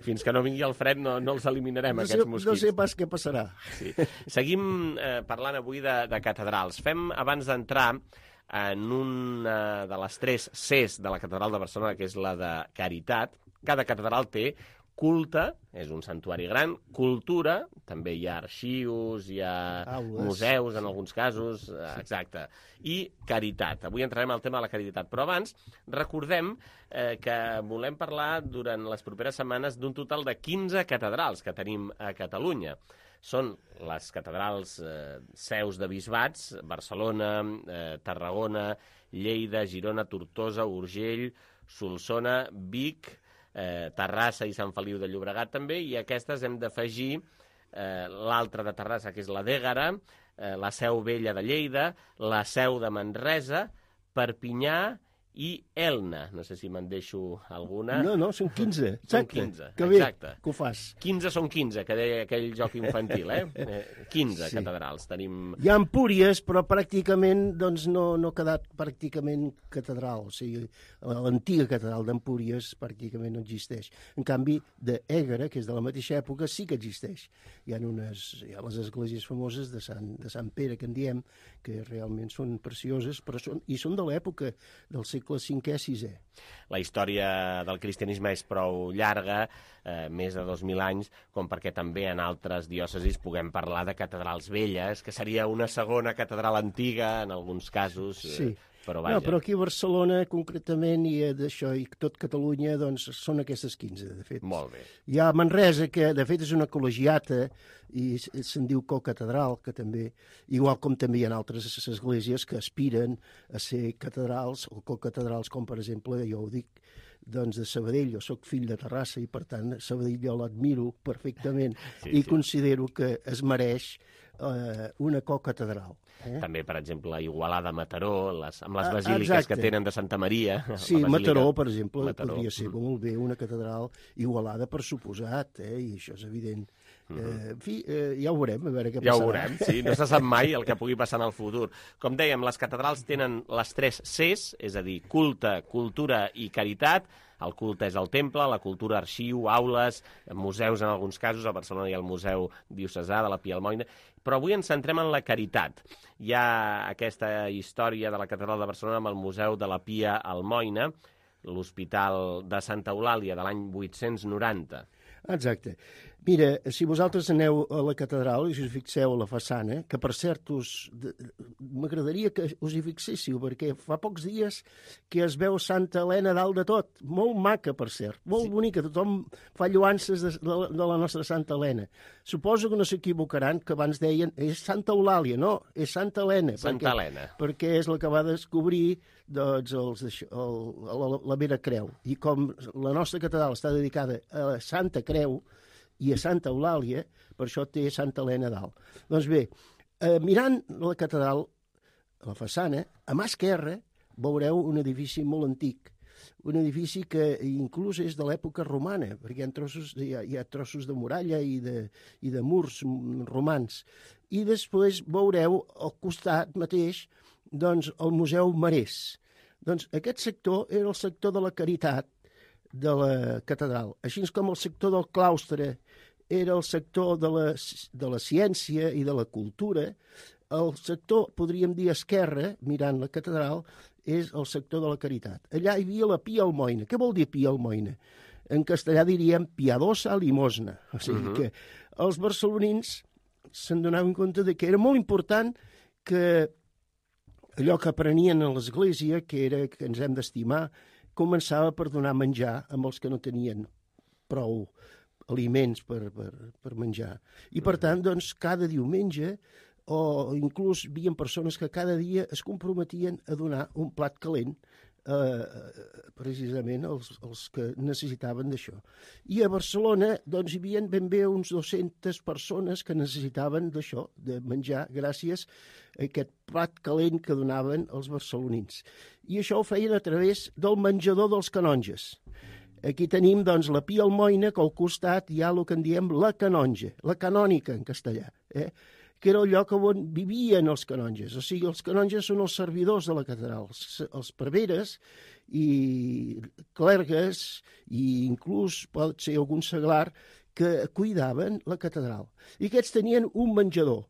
Fins que no vingui el fred no els eliminarem, aquests mosquits. No sé pas què passarà. Sí. Seguim parlant avui de catedrals. Fem, abans d'entrar en una de les 3 Cs de la catedral de Barcelona, que és la de Caritat. Cada catedral té culte, és un santuari gran, cultura, també hi ha arxius, hi ha museus en alguns casos, exacte, i caritat. Avui entrarem al tema de la caritat, però abans recordem que volem parlar durant les properes setmanes d'un total de 15 catedrals que tenim a Catalunya. Són les catedrals seus de bisbats, Barcelona, Tarragona, Lleida, Girona, Tortosa, Urgell, Solsona, Vic, Terrassa i Sant Feliu de Llobregat també, i aquestes hem d'afegir l'altra de Terrassa, que és la d'Ègara, la Seu Vella de Lleida, la Seu de Manresa, Perpinyà i Elna. No sé si me'n deixo alguna. No, són 15. Són 15, que bé, exacte. que ho fas. 15 són 15, que deia aquell joc infantil, 15 catedrals. Tenim... Hi ha Empúries, però pràcticament doncs, no ha quedat pràcticament catedral. O sigui, l'antiga catedral d'Empúries pràcticament no existeix. En canvi, d'Ègara, que és de la mateixa època, sí que existeix. Hi ha les esglésies famoses de Sant Pere, que en diem, que realment són precioses, però són de l'època del segle V-VI. La història del cristianisme és prou llarga, més de 2.000 anys, com perquè també en altres diòcesis puguem parlar de catedrals velles, que seria una segona catedral antiga, en alguns casos, sí. Però vaja. No, però aquí a Barcelona, concretament, i d'això, i tot Catalunya, doncs, són aquestes 15, de fet. Molt bé. Hi ha Manresa, que de fet és una col·legiata, i se'n diu cocatedral, que també, igual com també hi ha altres esglésies que aspiren a ser catedrals, o cocatedrals, com per exemple, jo ho dic, doncs de Sabadell. Jo sóc fill de Terrassa i, per tant, Sabadell jo l'admiro perfectament i considero que es mereix una cocatedral. També, per exemple, Igualada, Mataró, amb les basíliques que tenen de Santa Maria. Sí, Mataró, per exemple, podria ser molt bé una catedral. Igualada, per suposat, i això és evident. En fi, ja ho veurem, a veure què passarà. Ja ho veurem, sí, no se sap mai el que pugui passar en el futur. Com dèiem, les catedrals tenen les 3 Cs, és a dir, culte, cultura i caritat. El culte és el temple, la cultura arxiu, aules, museus en alguns casos. A Barcelona hi ha el Museu Diocesà de la Pia Almoina. Però avui ens centrem en la caritat. Hi ha aquesta història de la Catedral de Barcelona amb el Museu de la Pia Almoina, l'Hospital de Santa Eulàlia de l'any 890. Exacte. Mira, si vosaltres aneu a la catedral i us fixeu a la façana, que per cert m'agradaria que us hi fixéssiu, perquè fa pocs dies que es veu Santa Helena dalt de tot. Molt maca, per cert, molt bonica. Tothom fa lloances de la nostra Santa Helena. Suposo que no s'equivocaran, que abans deien és Santa Eulàlia. No, és Santa Helena. Santa Helena. Perquè és la que va descobrir la Vera Creu. I com la nostra catedral està dedicada a Santa Creu i a Santa Eulàlia, per això té Santa Helena dalt. Doncs bé, mirant la catedral, a la façana, a mà esquerra veureu un edifici molt antic, un edifici que inclús és de l'època romana, perquè hi ha trossos de muralla i de murs romans. I després veureu al costat mateix doncs, el Museu Marès. Doncs aquest sector era el sector de la caritat de la catedral, així com el sector del claustre era el sector de la ciència i de la cultura. El sector, podríem dir, esquerre, mirant la catedral, és el sector de la caritat. Allà hi havia la Pia Almoina. Què vol dir Pia Almoina? En castellà diríem piadosa limosna. O sigui que els barcelonins se'n donaven compte de que era molt important que allò que aprenien a l'església, que era que ens hem d'estimar, començava per donar menjar amb els que no tenien prou aliments per menjar. I, per tant, doncs, cada diumenge, o inclús hi havia persones que cada dia es comprometien a donar un plat calent precisament als que necessitaven d'això. I a Barcelona doncs, hi havia ben bé uns 200 persones que necessitaven d'això, de menjar, gràcies a aquest plat calent que donaven els barcelonins. I això ho feien a través del menjador dels canonges. Aquí tenim doncs, la Pia Almoina, que al costat hi ha el que en diem la canonja, la canònica en castellà, que era el lloc on vivien els canonges. O sigui, els canonges són els servidors de la catedral, els preveres i clergues, i inclús pot ser algun seglar, que cuidaven la catedral. I aquests tenien un menjador.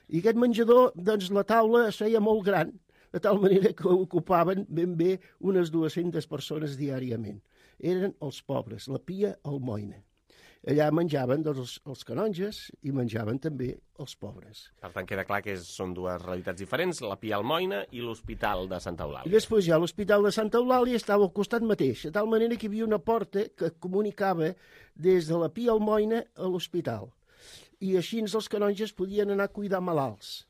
I aquest menjador, doncs, la taula es feia molt gran, de tal manera que ocupaven ben bé unes 200 persones diàriament. Eren els pobres, la Pia Almoina. Allà menjaven doncs, els canonges i menjaven també els pobres. Per tant, queda clar que són dues realitats diferents, la Pia Almoina i l'Hospital de Santa Eulàlia. I després ja l'Hospital de Santa Eulàlia estava al costat mateix, de tal manera que hi havia una porta que comunicava des de la Pia Almoina a l'hospital. I així els canonges podien anar a cuidar malalts.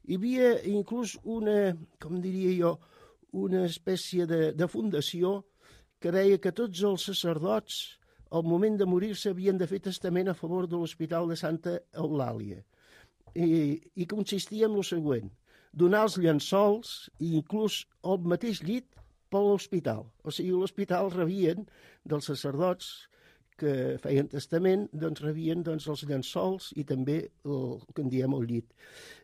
Hi havia inclús una, com diria jo, una espècie de fundació que deia que tots els sacerdots al moment de morir-se havien de fer testament a favor de l'Hospital de Santa Eulàlia. I consistia en el següent: donar els llençols i inclús el mateix llit per l'hospital. O sigui, l'hospital rebien dels sacerdots que feien testament, doncs rebien els llençols i també el que en diem el llit.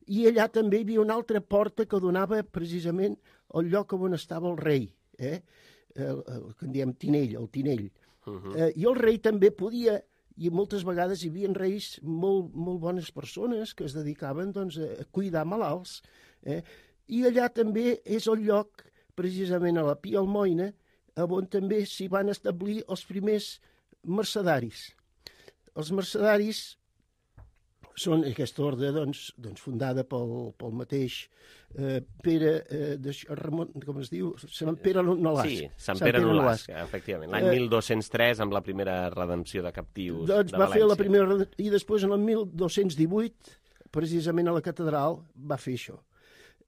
I allà també hi havia una altra porta que donava precisament al lloc on estava el rei, el que en diem tinell, el tinell. I el rei també podia, i moltes vegades hi havia reis molt bones persones que es dedicaven a cuidar malalts, i allà també és el lloc, precisament a la Pia Almoina, on també s'hi van establir els primers mercedaris. Els mercedaris són aquesta ordre fundada pel mateix Pere, com es diu? Sant Pere Nolasc. Sí, Sant Pere Nolasc, efectivament. L'any 1203, amb la primera redempció de captius de València. Va fer la primera, i després en el 1218, precisament a la catedral, va fer això.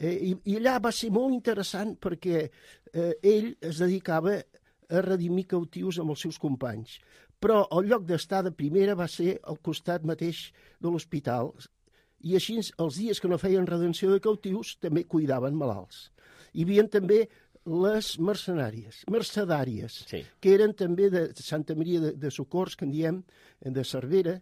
I allà va ser molt interessant perquè ell es dedicava a redimir cautius amb els seus companys. Però el lloc d'estar de primera va ser al costat mateix de l'hospital, i així els dies que no feien redenció de cautius també cuidaven malalts. Hi havia també les mercedàries, sí, que eren també de Santa Maria de Socors, que en diem, de Cervelló,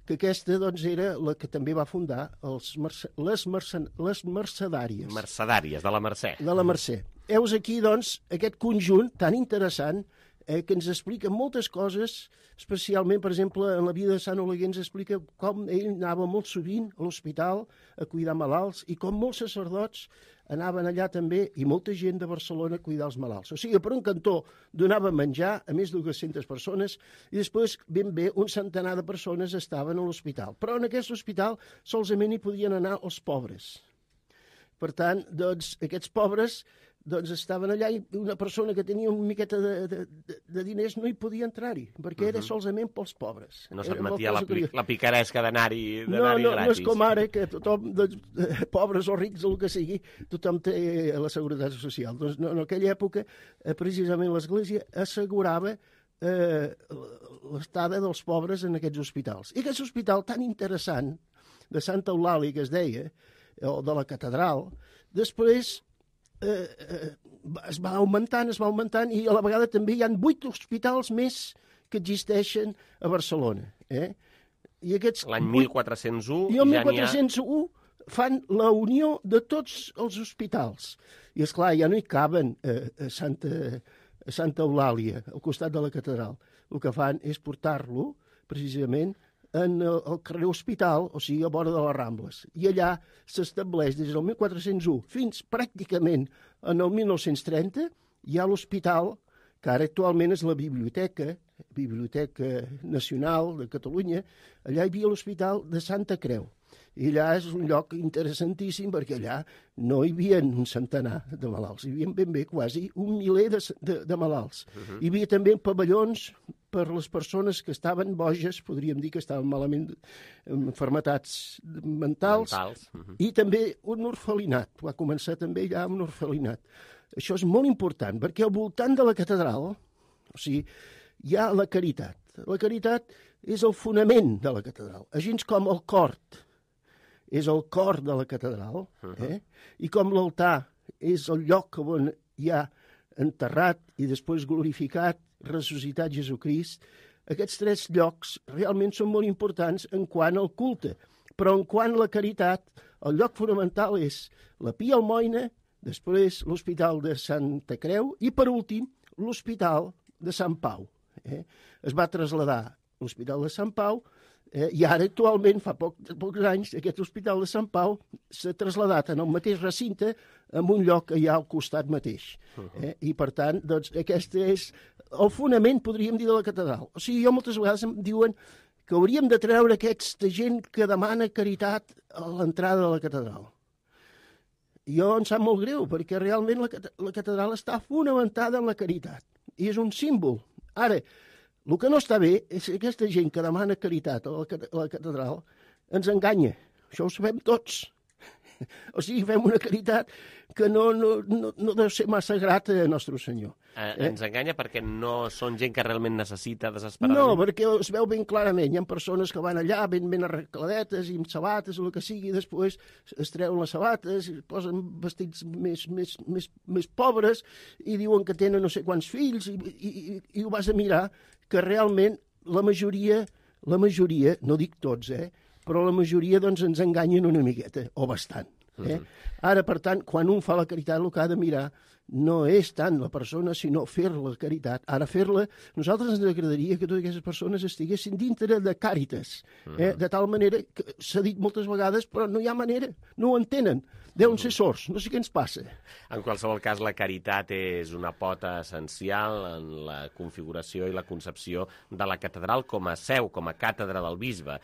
que aquesta era la que també va fundar les mercedàries. Mercedàries, de la Mercè. De la Mercè. Heus aquí, aquest conjunt tan interessant que ens explica moltes coses, especialment, per exemple, en la vida de Sant Oleguer ens explica com ell anava molt sovint a l'hospital a cuidar malalts i com molts sacerdots anaven allà també, i molta gent de Barcelona, a cuidar els malalts. O sigui, per un cantó donava menjar a més de 200 persones i després, ben bé, un centenar de persones estaven a l'hospital. Però en aquest hospital solament hi podien anar els pobres. Per tant, aquests pobres estaven allà i una persona que tenia una miqueta de diners no hi podia entrar-hi, perquè era solament pels pobres. No s'admetia la picaresca d'anar-hi gratis. No és com ara, que tothom, pobres o rics, el que sigui, tothom té la seguretat social. Doncs no, en aquella època, precisament l'Església assegurava l'estada dels pobres en aquests hospitals. I aquest hospital tan interessant de Santa Eulàlia, que es deia, o de la catedral, després es va augmentant i a la vegada també hi ha 8 hospitals més que existeixen a Barcelona. I l'any 1401 i el 1401 fan la unió de tots els hospitals. I esclar, ja no hi caben a Santa Eulàlia, al costat de la catedral. El que fan és portar-lo, precisament, en el carrer Hospital, o sigui, a vora de les Rambles. I allà s'estableix des del 1401 fins pràcticament en el 1930, hi ha l'hospital, que ara actualment és la Biblioteca Nacional de Catalunya. Allà hi havia l'Hospital de Santa Creu. I allà és un lloc interessantíssim perquè allà no hi havia un centenar de malalts, hi havia ben bé quasi 1 miler de malalts. Hi havia també pavellons per les persones que estaven boges, podríem dir que estaven malament amb malalties mentals. I també un orfelinat, va començar també ja amb un orfelinat. Això és molt important, perquè al voltant de la catedral, o sigui, hi ha la caritat. La caritat és el fonament de la catedral, així com el cor és el cor de la catedral, i com l'altar és el lloc on hi ha enterrat i després glorificat, ressuscitat Jesucrist, aquests 3 llocs realment són molt importants en quant al culte. Però en quant a la caritat, el lloc fonamental és la Pia Almoina, després l'Hospital de Santa Creu i, per últim, l'Hospital de Sant Pau. Es va traslladar l'Hospital de Sant Pau I ara, actualment, fa pocs anys, aquest Hospital de Sant Pau s'ha traslladat en el mateix recinte en un lloc que hi ha al costat mateix. I, per tant, doncs, aquest és el fonament, podríem dir, de la catedral. O sigui, jo moltes vegades em diuen que hauríem de treure aquesta gent que demana caritat a l'entrada de la catedral. Jo em sap molt greu, perquè realment la catedral està fonamentada en la caritat, i és un símbol. Ara, el que no està bé és que aquesta gent que demana caritat a la catedral ens enganya. Això ho sabem tots. O sigui, fem una caritat que no deu ser massa grata a Nostre Senyor. Ens enganya perquè no són gent que realment necessita desesperadament? No, perquè es veu ben clarament. Hi ha persones que van allà ben arregladetes i amb sabates o el que sigui, i després es treuen les sabates i posen vestits més pobres i diuen que tenen no sé quants fills i ho vas a mirar, que realment la majoria, no dic tots, però la majoria doncs, ens enganyen una miqueta, o bastant. Ara, per tant, quan un fa la caritat, el que ha de mirar no és tant la persona, sinó fer la caritat. Ara, fer-la, nosaltres ens agradaria que totes aquestes persones estiguessin dintre de Càritas, de tal manera que s'ha dit moltes vegades, però no hi ha manera, no ho entenen. Deuen ser sords, no sé què ens passa. En qualsevol cas, la caritat és una pota essencial en la configuració i la concepció de la catedral com a seu, com a càtedra del bisbe.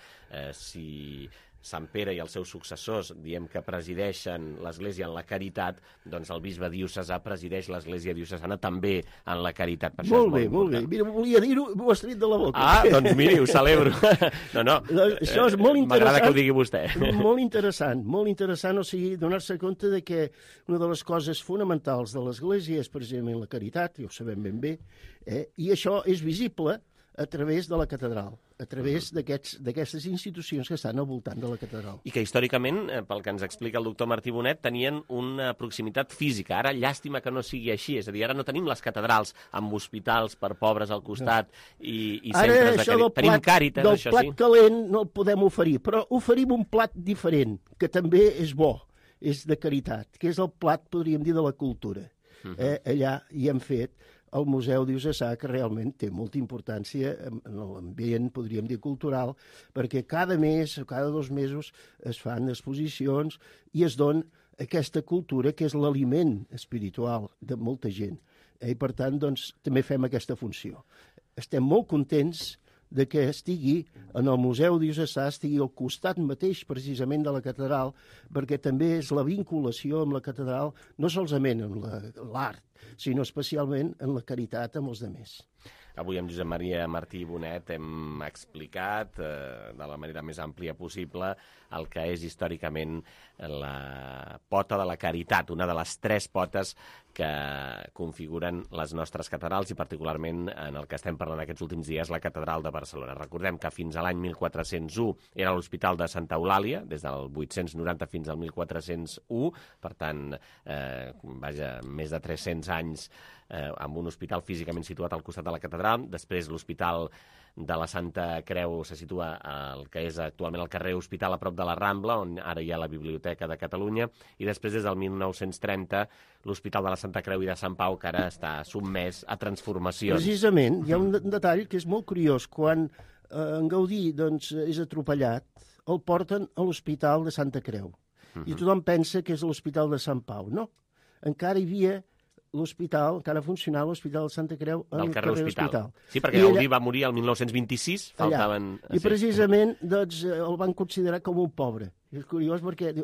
Si Sant Pere i els seus successors diem que presideixen l'Església en la caritat, doncs el bisbe diocesà presideix l'Església diocesana també en la caritat. Per molt bé, molt bé. Mira, volia dir-ho, m'ho has tret de la boca. Doncs miri, ho celebro. No, això és molt interessant. M'agrada que ho digui vostè. Molt interessant, o sigui, donar-se compte de que una de les coses fonamentals de l'Església és precisament la caritat, i ho sabem ben bé, i això és visible a través de la catedral, a través d'aquestes institucions que estan al voltant de la catedral. I que històricament, pel que ens explica el doctor Martí Bonet, tenien una proximitat física. Ara, llàstima que no sigui així. És a dir, ara no tenim les catedrals amb hospitals per pobres al costat i centres de caritat. Tenim Càritas, això sí. Del plat calent no el podem oferir, però oferim un plat diferent, que també és bo, és de caritat, que és el plat, podríem dir, de la cultura. Allà hi hem fet el Museu Diocesà, que realment té molta importància en l'ambient, podríem dir, cultural, perquè cada mes o cada 2 mesos es fan exposicions i es dona aquesta cultura que és l'aliment espiritual de molta gent. I per tant, doncs, també fem aquesta funció. Estem molt contents de que estigui en el Museu Diocesà, estigui al costat mateix precisament de la catedral, perquè també és la vinculació amb la catedral, no solament amb l'art, sinó especialment en la caritat amb els altres. Avui amb Josep Maria Martí Bonet hem explicat de la manera més àmplia possible el que és històricament la pota de la caritat, una de les 3 potes que configuren les nostres catedrals i particularment en el que estem parlant aquests últims dies, la catedral de Barcelona. Recordem que fins a l'any 1401 era l'Hospital de Santa Eulàlia, des del 890 fins al 1401, per tant, més de 300 anys amb un hospital físicament situat al costat de la catedral. Després l'Hospital de la Santa Creu se situa al que és actualment el carrer Hospital a prop de la Rambla, on ara hi ha la Biblioteca de Catalunya, i després des del 1930 l'Hospital de la Santa Creu i de Sant Pau, que ara està sotmès a transformacions. Precisament, hi ha un detall que és molt curiós. Quan en Gaudí doncs, és atropellat, el porten a l'Hospital de Santa Creu. I tothom pensa que és l'Hospital de Sant Pau. No, encara hi havia l'hospital, encara funcionava l'Hospital de Santa Creu al carrer Hospital. Sí, perquè Gaudí va morir el 1926, faltaven... I precisament doncs, el van considerar com un pobre. És curiós perquè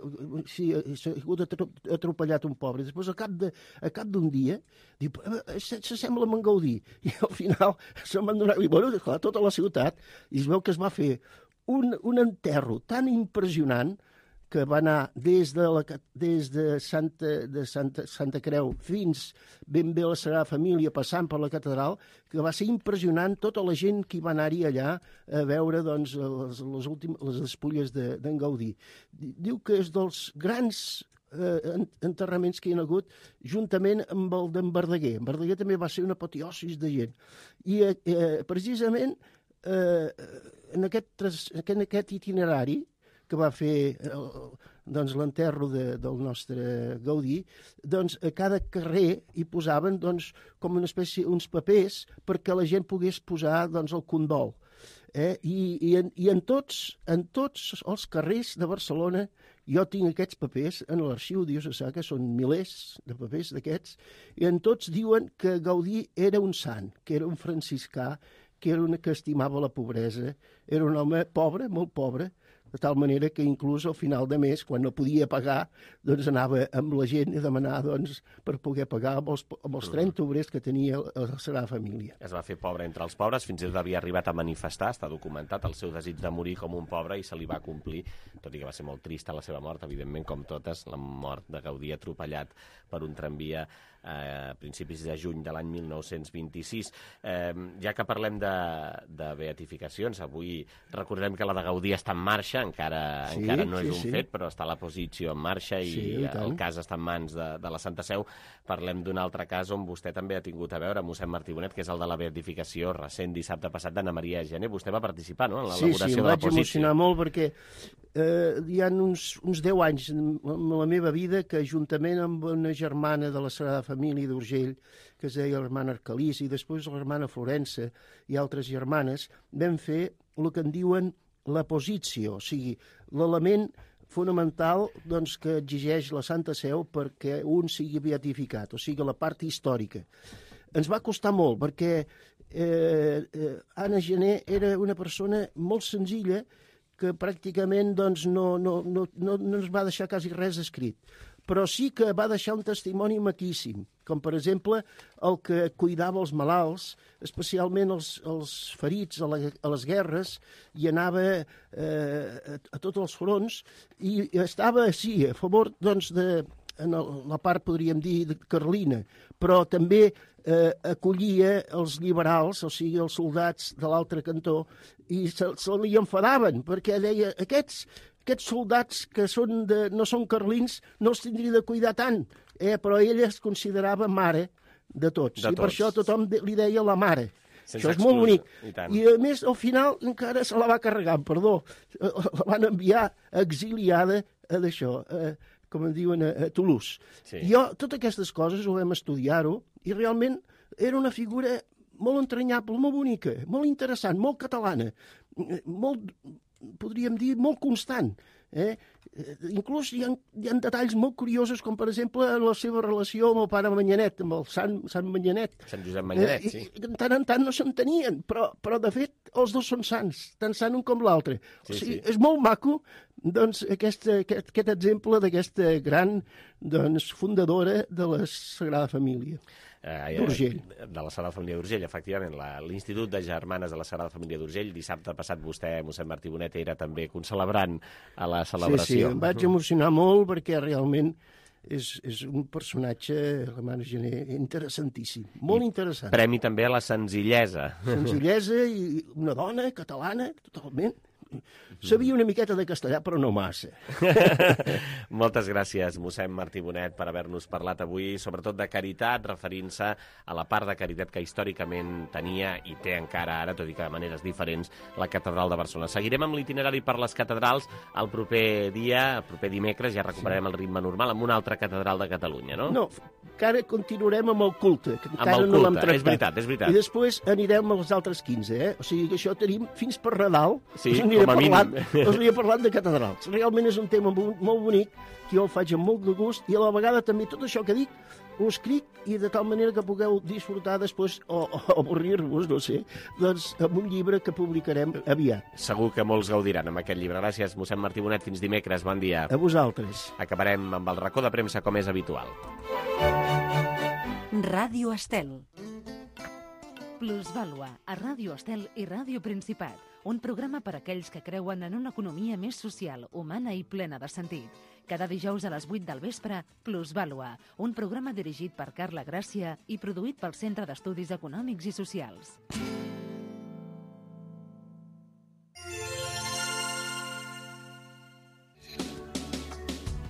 si ha sigut atropellat un pobre, després al cap d'un dia diu, s'assembla amb en Gaudí, i al final se'n van donar, i bueno, clar, tota la ciutat, i es veu que es va fer un enterro tan impressionant que va anar des de Santa Creu fins ben bé a la Sagrada Família, passant per la catedral, que va ser impressionant tota la gent que hi va anar-hi allà a veure doncs, les despulles d'en Gaudí. Diu que és dels grans enterraments que hi ha hagut juntament amb el d'en Verdaguer. En Verdaguer també va ser una apoteosi de gent. I precisament en aquest itinerari que va fer doncs, l'enterro del nostre Gaudí, doncs a cada carrer hi posaven doncs, com una espècie, uns papers perquè la gent pogués posar doncs, el condol. I en tots els carrers de Barcelona jo tinc aquests papers en l'arxiu diocesà, que són milers de papers d'aquests, i en tots diuen que Gaudí era un sant, que era un franciscà, que era un que estimava la pobresa, era un home pobre, molt pobre, de tal manera que inclús al final de mes, quan no podia pagar, doncs anava amb la gent a demanar doncs, per poder pagar amb els 30 obrers que tenia la Sagrada Família. Es va fer pobre entre els pobres, fins i tot havia arribat a manifestar, està documentat, el seu desig de morir com un pobre, i se li va complir, tot i que va ser molt trista la seva mort, evidentment, com totes, la mort de Gaudí atropellat per un tramvia a principis de juny de l'any 1926. Ja que parlem de beatificacions, avui recordem que la de Gaudí està en marxa, encara no és un fet, però està la posició en marxa i el cas està en mans de la Santa Seu. Parlem d'un altre cas on vostè també ha tingut a veure, mossèn Martí Bonet, que és el de la beatificació recent dissabte passat d'Anna Maria Gené. Vostè va participar, no?, en l'elaboració de la posició. Sí, em vaig emocionar molt perquè hi ha uns 10 anys en la meva vida que juntament amb una germana de la Sagrada Família d'Urgell, que es deia l'hermana Arcalís, i després l'hermana Florença i altres germanes, vam fer el que en diuen la posició, o sigui, l'element fonamental doncs, que exigeix la Santa Seu perquè un sigui beatificat, o sigui, la part històrica. Ens va costar molt perquè Anna Gené era una persona molt senzilla que pràcticament doncs, no ens va deixar quasi res escrit, però sí que va deixar un testimoni maquíssim, com per exemple el que cuidava els malalts, especialment els ferits a les guerres, i anava a tots els fronts, i estava, sí, a favor doncs, en la part, podríem dir, carlina, però també acollia els liberals, o sigui, els soldats de l'altre cantó, i se li enfadaven, perquè deia, aquests soldats que no són carlins no els tindria de cuidar tant, però ella es considerava mare de tots. I per això tothom li deia la mare. Això és molt bonic. I a més, al final encara se la va carregar, perdó. La van enviar exiliada d'això, com en diuen, a Toulouse. Jo, totes aquestes coses ho vam estudiar-ho i realment era una figura molt entranyable, molt bonica, molt interessant, molt catalana, molt, podríem dir, molt constant. Inclús hi ha detalls molt curiosos, com per exemple la seva relació amb el pare Manyanet, amb el Sant Manyanet. Sant Josep Manyanet, sí. De tant en tant no s'entenien, però de fet els dos són sants, tant sant un com l'altre. O sigui, és molt maco doncs, aquest exemple d'aquesta gran fundadora de la Sagrada Família. d'Urgell. De la Sagrada Família d'Urgell, efectivament. L'Institut de Germanes de la Sagrada Família d'Urgell. Dissabte passat vostè, mossèn Martí Bonet, era també concelebrant a la celebració. Sí, em vaig emocionar molt perquè realment és un personatge, la Mare Gené, interessantíssim, molt interessant. Premi també a la senzillesa. Senzillesa i una dona catalana, totalment. Sabia una miqueta de castellà, però no massa. Moltes gràcies, mossèn Martí Bonet, per haver-nos parlat avui, sobretot de caritat, referint-se a la part de caritat que històricament tenia i té encara ara, tot i que de maneres diferents, la Catedral de Barcelona. Seguirem amb l'itinerari per les catedrals el proper dia, el proper dimecres, ja recuperarem el ritme normal amb una altra catedral de Catalunya, no? No, encara continuarem amb el culte, que encara no l'hem tractat. És veritat, és veritat. I després anirem als altres 15, O sigui que això tenim fins per Nadal. Sí, com a mínim. Us havia parlat de catedrals. Realment és un tema molt bonic, que jo el faig amb molt de gust, i a la vegada també tot això que dic ho escric i de tal manera que pugueu disfrutar després, o avorrir-vos, no sé, doncs amb un llibre que publicarem aviat. Segur que molts gaudiran amb aquest llibre. Gràcies, mossèn Martí Bonet. Fins dimecres. Bon dia. A vosaltres. Acabarem amb el racó de premsa, com és habitual. Ràdio Estel. Plusvàlua, a Ràdio Estel i Ràdio Principat. Un programa per a aquells que creuen en una economia més social, humana i plena de sentit. Cada dijous a les 8 del vespre, Plusvàlua, un programa dirigit per Carla Gràcia i produït pel Centre d'Estudis Econòmics i Socials.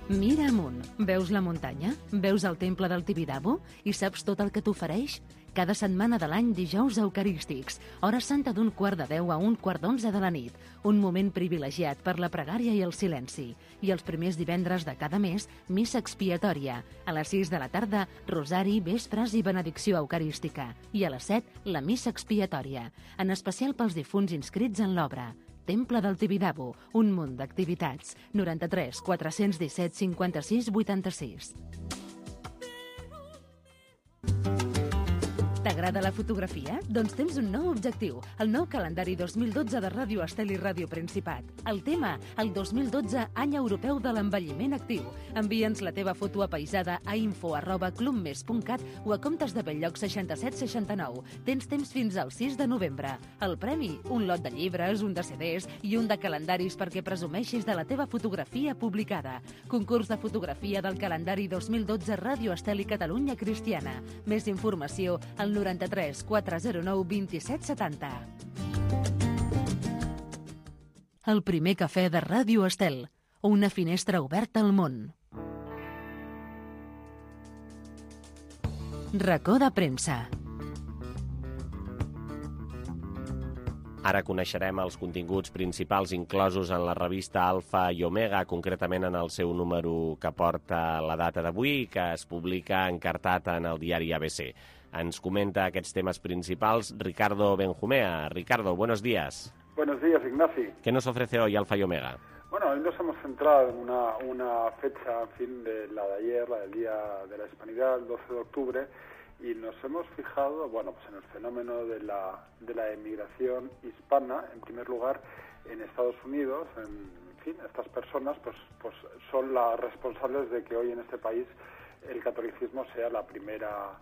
Mira amunt. Veus la muntanya? Veus el temple del Tibidabo? I saps tot el que t'ofereix? Cada setmana de l'any, dijous eucarístics, hora santa d'1 quart de 10 a 1 quart d'11 de la nit. Un moment privilegiat per la pregària i el silenci. I els primers divendres de cada mes, missa expiatòria. A les 6 de la tarda, rosari, vespres i benedicció eucarística. I a les 7, la missa expiatòria. En especial pels difunts inscrits en l'obra. Temple del Tibidabo, un munt d'activitats. 93 417 56 86. T'agrada la fotografia? Doncs tens un nou objectiu, el nou calendari 2012 de Ràdio Estel i Ràdio Principat. El tema, el 2012 Any Europeu de l'Envelliment Actiu. Envia'ns la teva foto apaisada a info@clubmes.cat o a comptes de Belllloc 6769. Tens temps fins al 6 de novembre. El premi, un lot de llibres, un de CDs i un de calendaris perquè presumeixis de la teva fotografia publicada. Concurs de fotografia del calendari 2012 Ràdio Estel i Catalunya Cristiana. Més informació al 93 409 27 70. El primer cafè de Ràdio Estel. Una finestra oberta al món. Racó de premsa. Ara coneixerem els continguts principals inclosos en la revista Alfa i Omega, concretament en el seu número que porta la data d'avui, que es publica encartat en el diari ABC. Ens comenta aquests temes principals Ricardo Benjumea. Ricardo, buenos días. Buenos días, Ignasi. ¿Qué nos ofrece hoy Alfa y Omega? Bueno, hoy nos hemos centrado en una fecha, en fin, de la de ayer, la del Día de la Hispanidad, el 12 de octubre, y nos hemos fijado, bueno, pues en el fenómeno de la emigración hispana, en primer lugar, en Estados Unidos. En fin, estas personas pues son las responsables de que hoy en este país el catolicismo sea la primera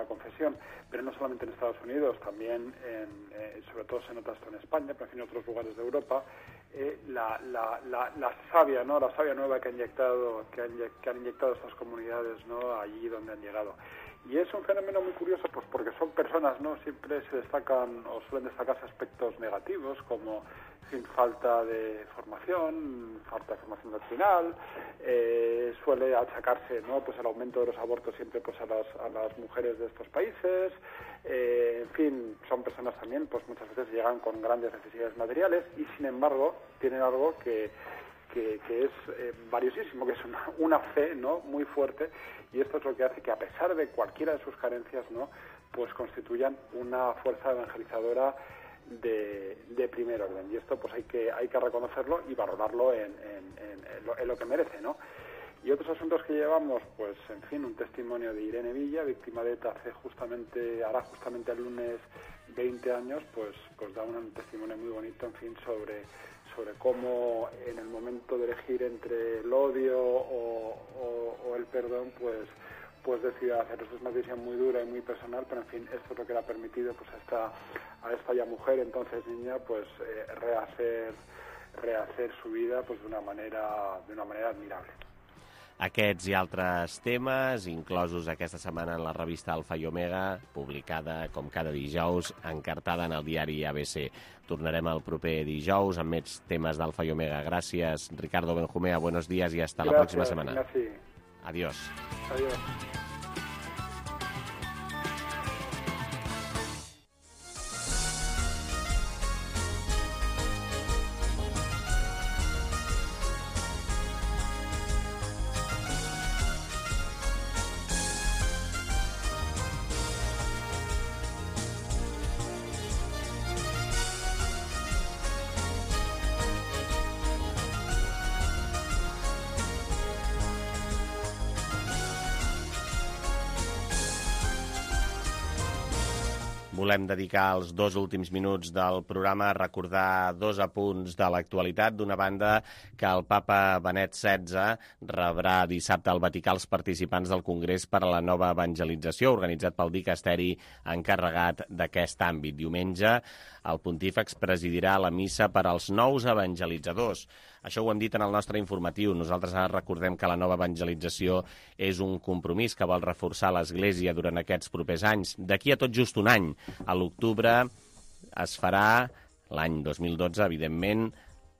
confesión, pero no solamente en Estados Unidos, también sobre todo se nota esto en España, pero en otros lugares de Europa, la savia, ¿no? La savia nueva que han inyectado estas comunidades, ¿no? Allí donde han llegado. Y es un fenómeno muy curioso, pues porque son personas, ¿no? Siempre se destacan o suelen destacarse aspectos negativos, como sin falta de formación doctrinal, suele achacarse, ¿no? Pues el aumento de los abortos siempre pues a las mujeres de estos países, en fin, son personas también, pues muchas veces llegan con grandes necesidades materiales y sin embargo tienen algo que es valiosísimo, que es una fe, ¿no? Muy fuerte, y esto es lo que hace que a pesar de cualquiera de sus carencias, ¿no? Pues constituyan una fuerza evangelizadora de primer orden, y esto pues hay que reconocerlo y valorarlo en lo que merece, ¿no? Y otros asuntos que llevamos, pues en fin, un testimonio de Irene Villa, víctima de ETA hará justamente el lunes 20 años, pues da un testimonio muy bonito, en fin, sobre cómo en el momento de elegir entre el odio o el perdón, pues decidió hacerlo. Esto es una decisión muy dura y muy personal, pero en fin, esto es lo que le ha permitido pues a esta ya mujer, entonces niña, pues rehacer su vida pues de una manera admirable. Aquests i altres temes, inclosos aquesta setmana en la revista Alfa i Omega, publicada com cada dijous, encartada en el diari ABC. Tornarem el proper dijous amb més temes d'Alfa i Omega. Gràcies, Ricardo Benjumea, buenos días y hasta la próxima semana. Gracias. Adiós. Adiós. Volem dedicar els 2 últims minuts del programa a recordar 2 apunts de l'actualitat. D'una banda, que el papa Benet XVI rebrà dissabte al Vaticà els participants del Congrés per a la Nova Evangelització, organitzat pel dicasteri encarregat d'aquest àmbit. Diumenge, el pontífex presidirà la missa per als nous evangelitzadors. Això ho hem dit en el nostre informatiu. Nosaltres ara recordem que la nova evangelització és un compromís que vol reforçar l'Església durant aquests propers anys. D'aquí a tot just un any, a l'octubre, es farà, l'any 2012, evidentment,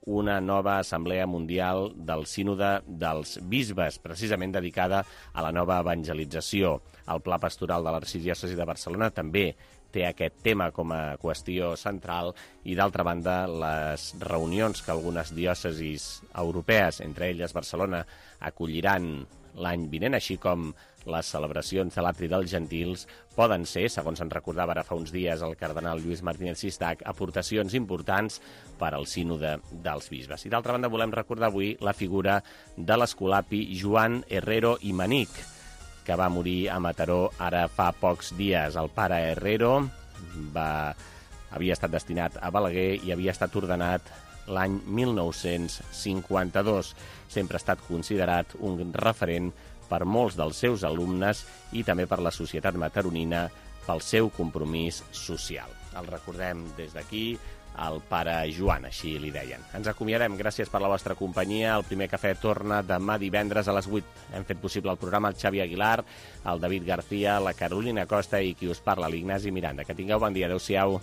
una nova Assemblea Mundial del Sínode dels Bisbes, precisament dedicada a la nova evangelització. El Pla Pastoral de l'Arxidiòcesi de Barcelona també té aquest tema com a qüestió central i, d'altra banda, les reunions que algunes diòcesis europees, entre elles Barcelona, acolliran l'any vinent, així com les celebracions de l'Atri dels Gentils, poden ser, segons ens recordava ara fa uns dies el cardenal Lluís Martínez Sistac, aportacions importants per al sínode dels bisbes. I d'altra banda volem recordar avui la figura de l'escolapi Joan Herrero i Manic, que va morir a Mataró ara fa pocs dies. El pare Herrero havia estat destinat a Balaguer i havia estat ordenat l'any 1952. Sempre ha estat considerat un referent per molts dels seus alumnes i també per la societat mataronina pel seu compromís social. El recordem des d'aquí, el pare Joan, així li deien. Ens acomiadem, gràcies per la vostra companyia. El primer cafè torna demà divendres a les 8. Hem fet possible el programa el Xavi Aguilar, el David García, la Carolina Costa i qui us parla, l'Ignasi Miranda. Que tingueu bon dia, adeu-siau.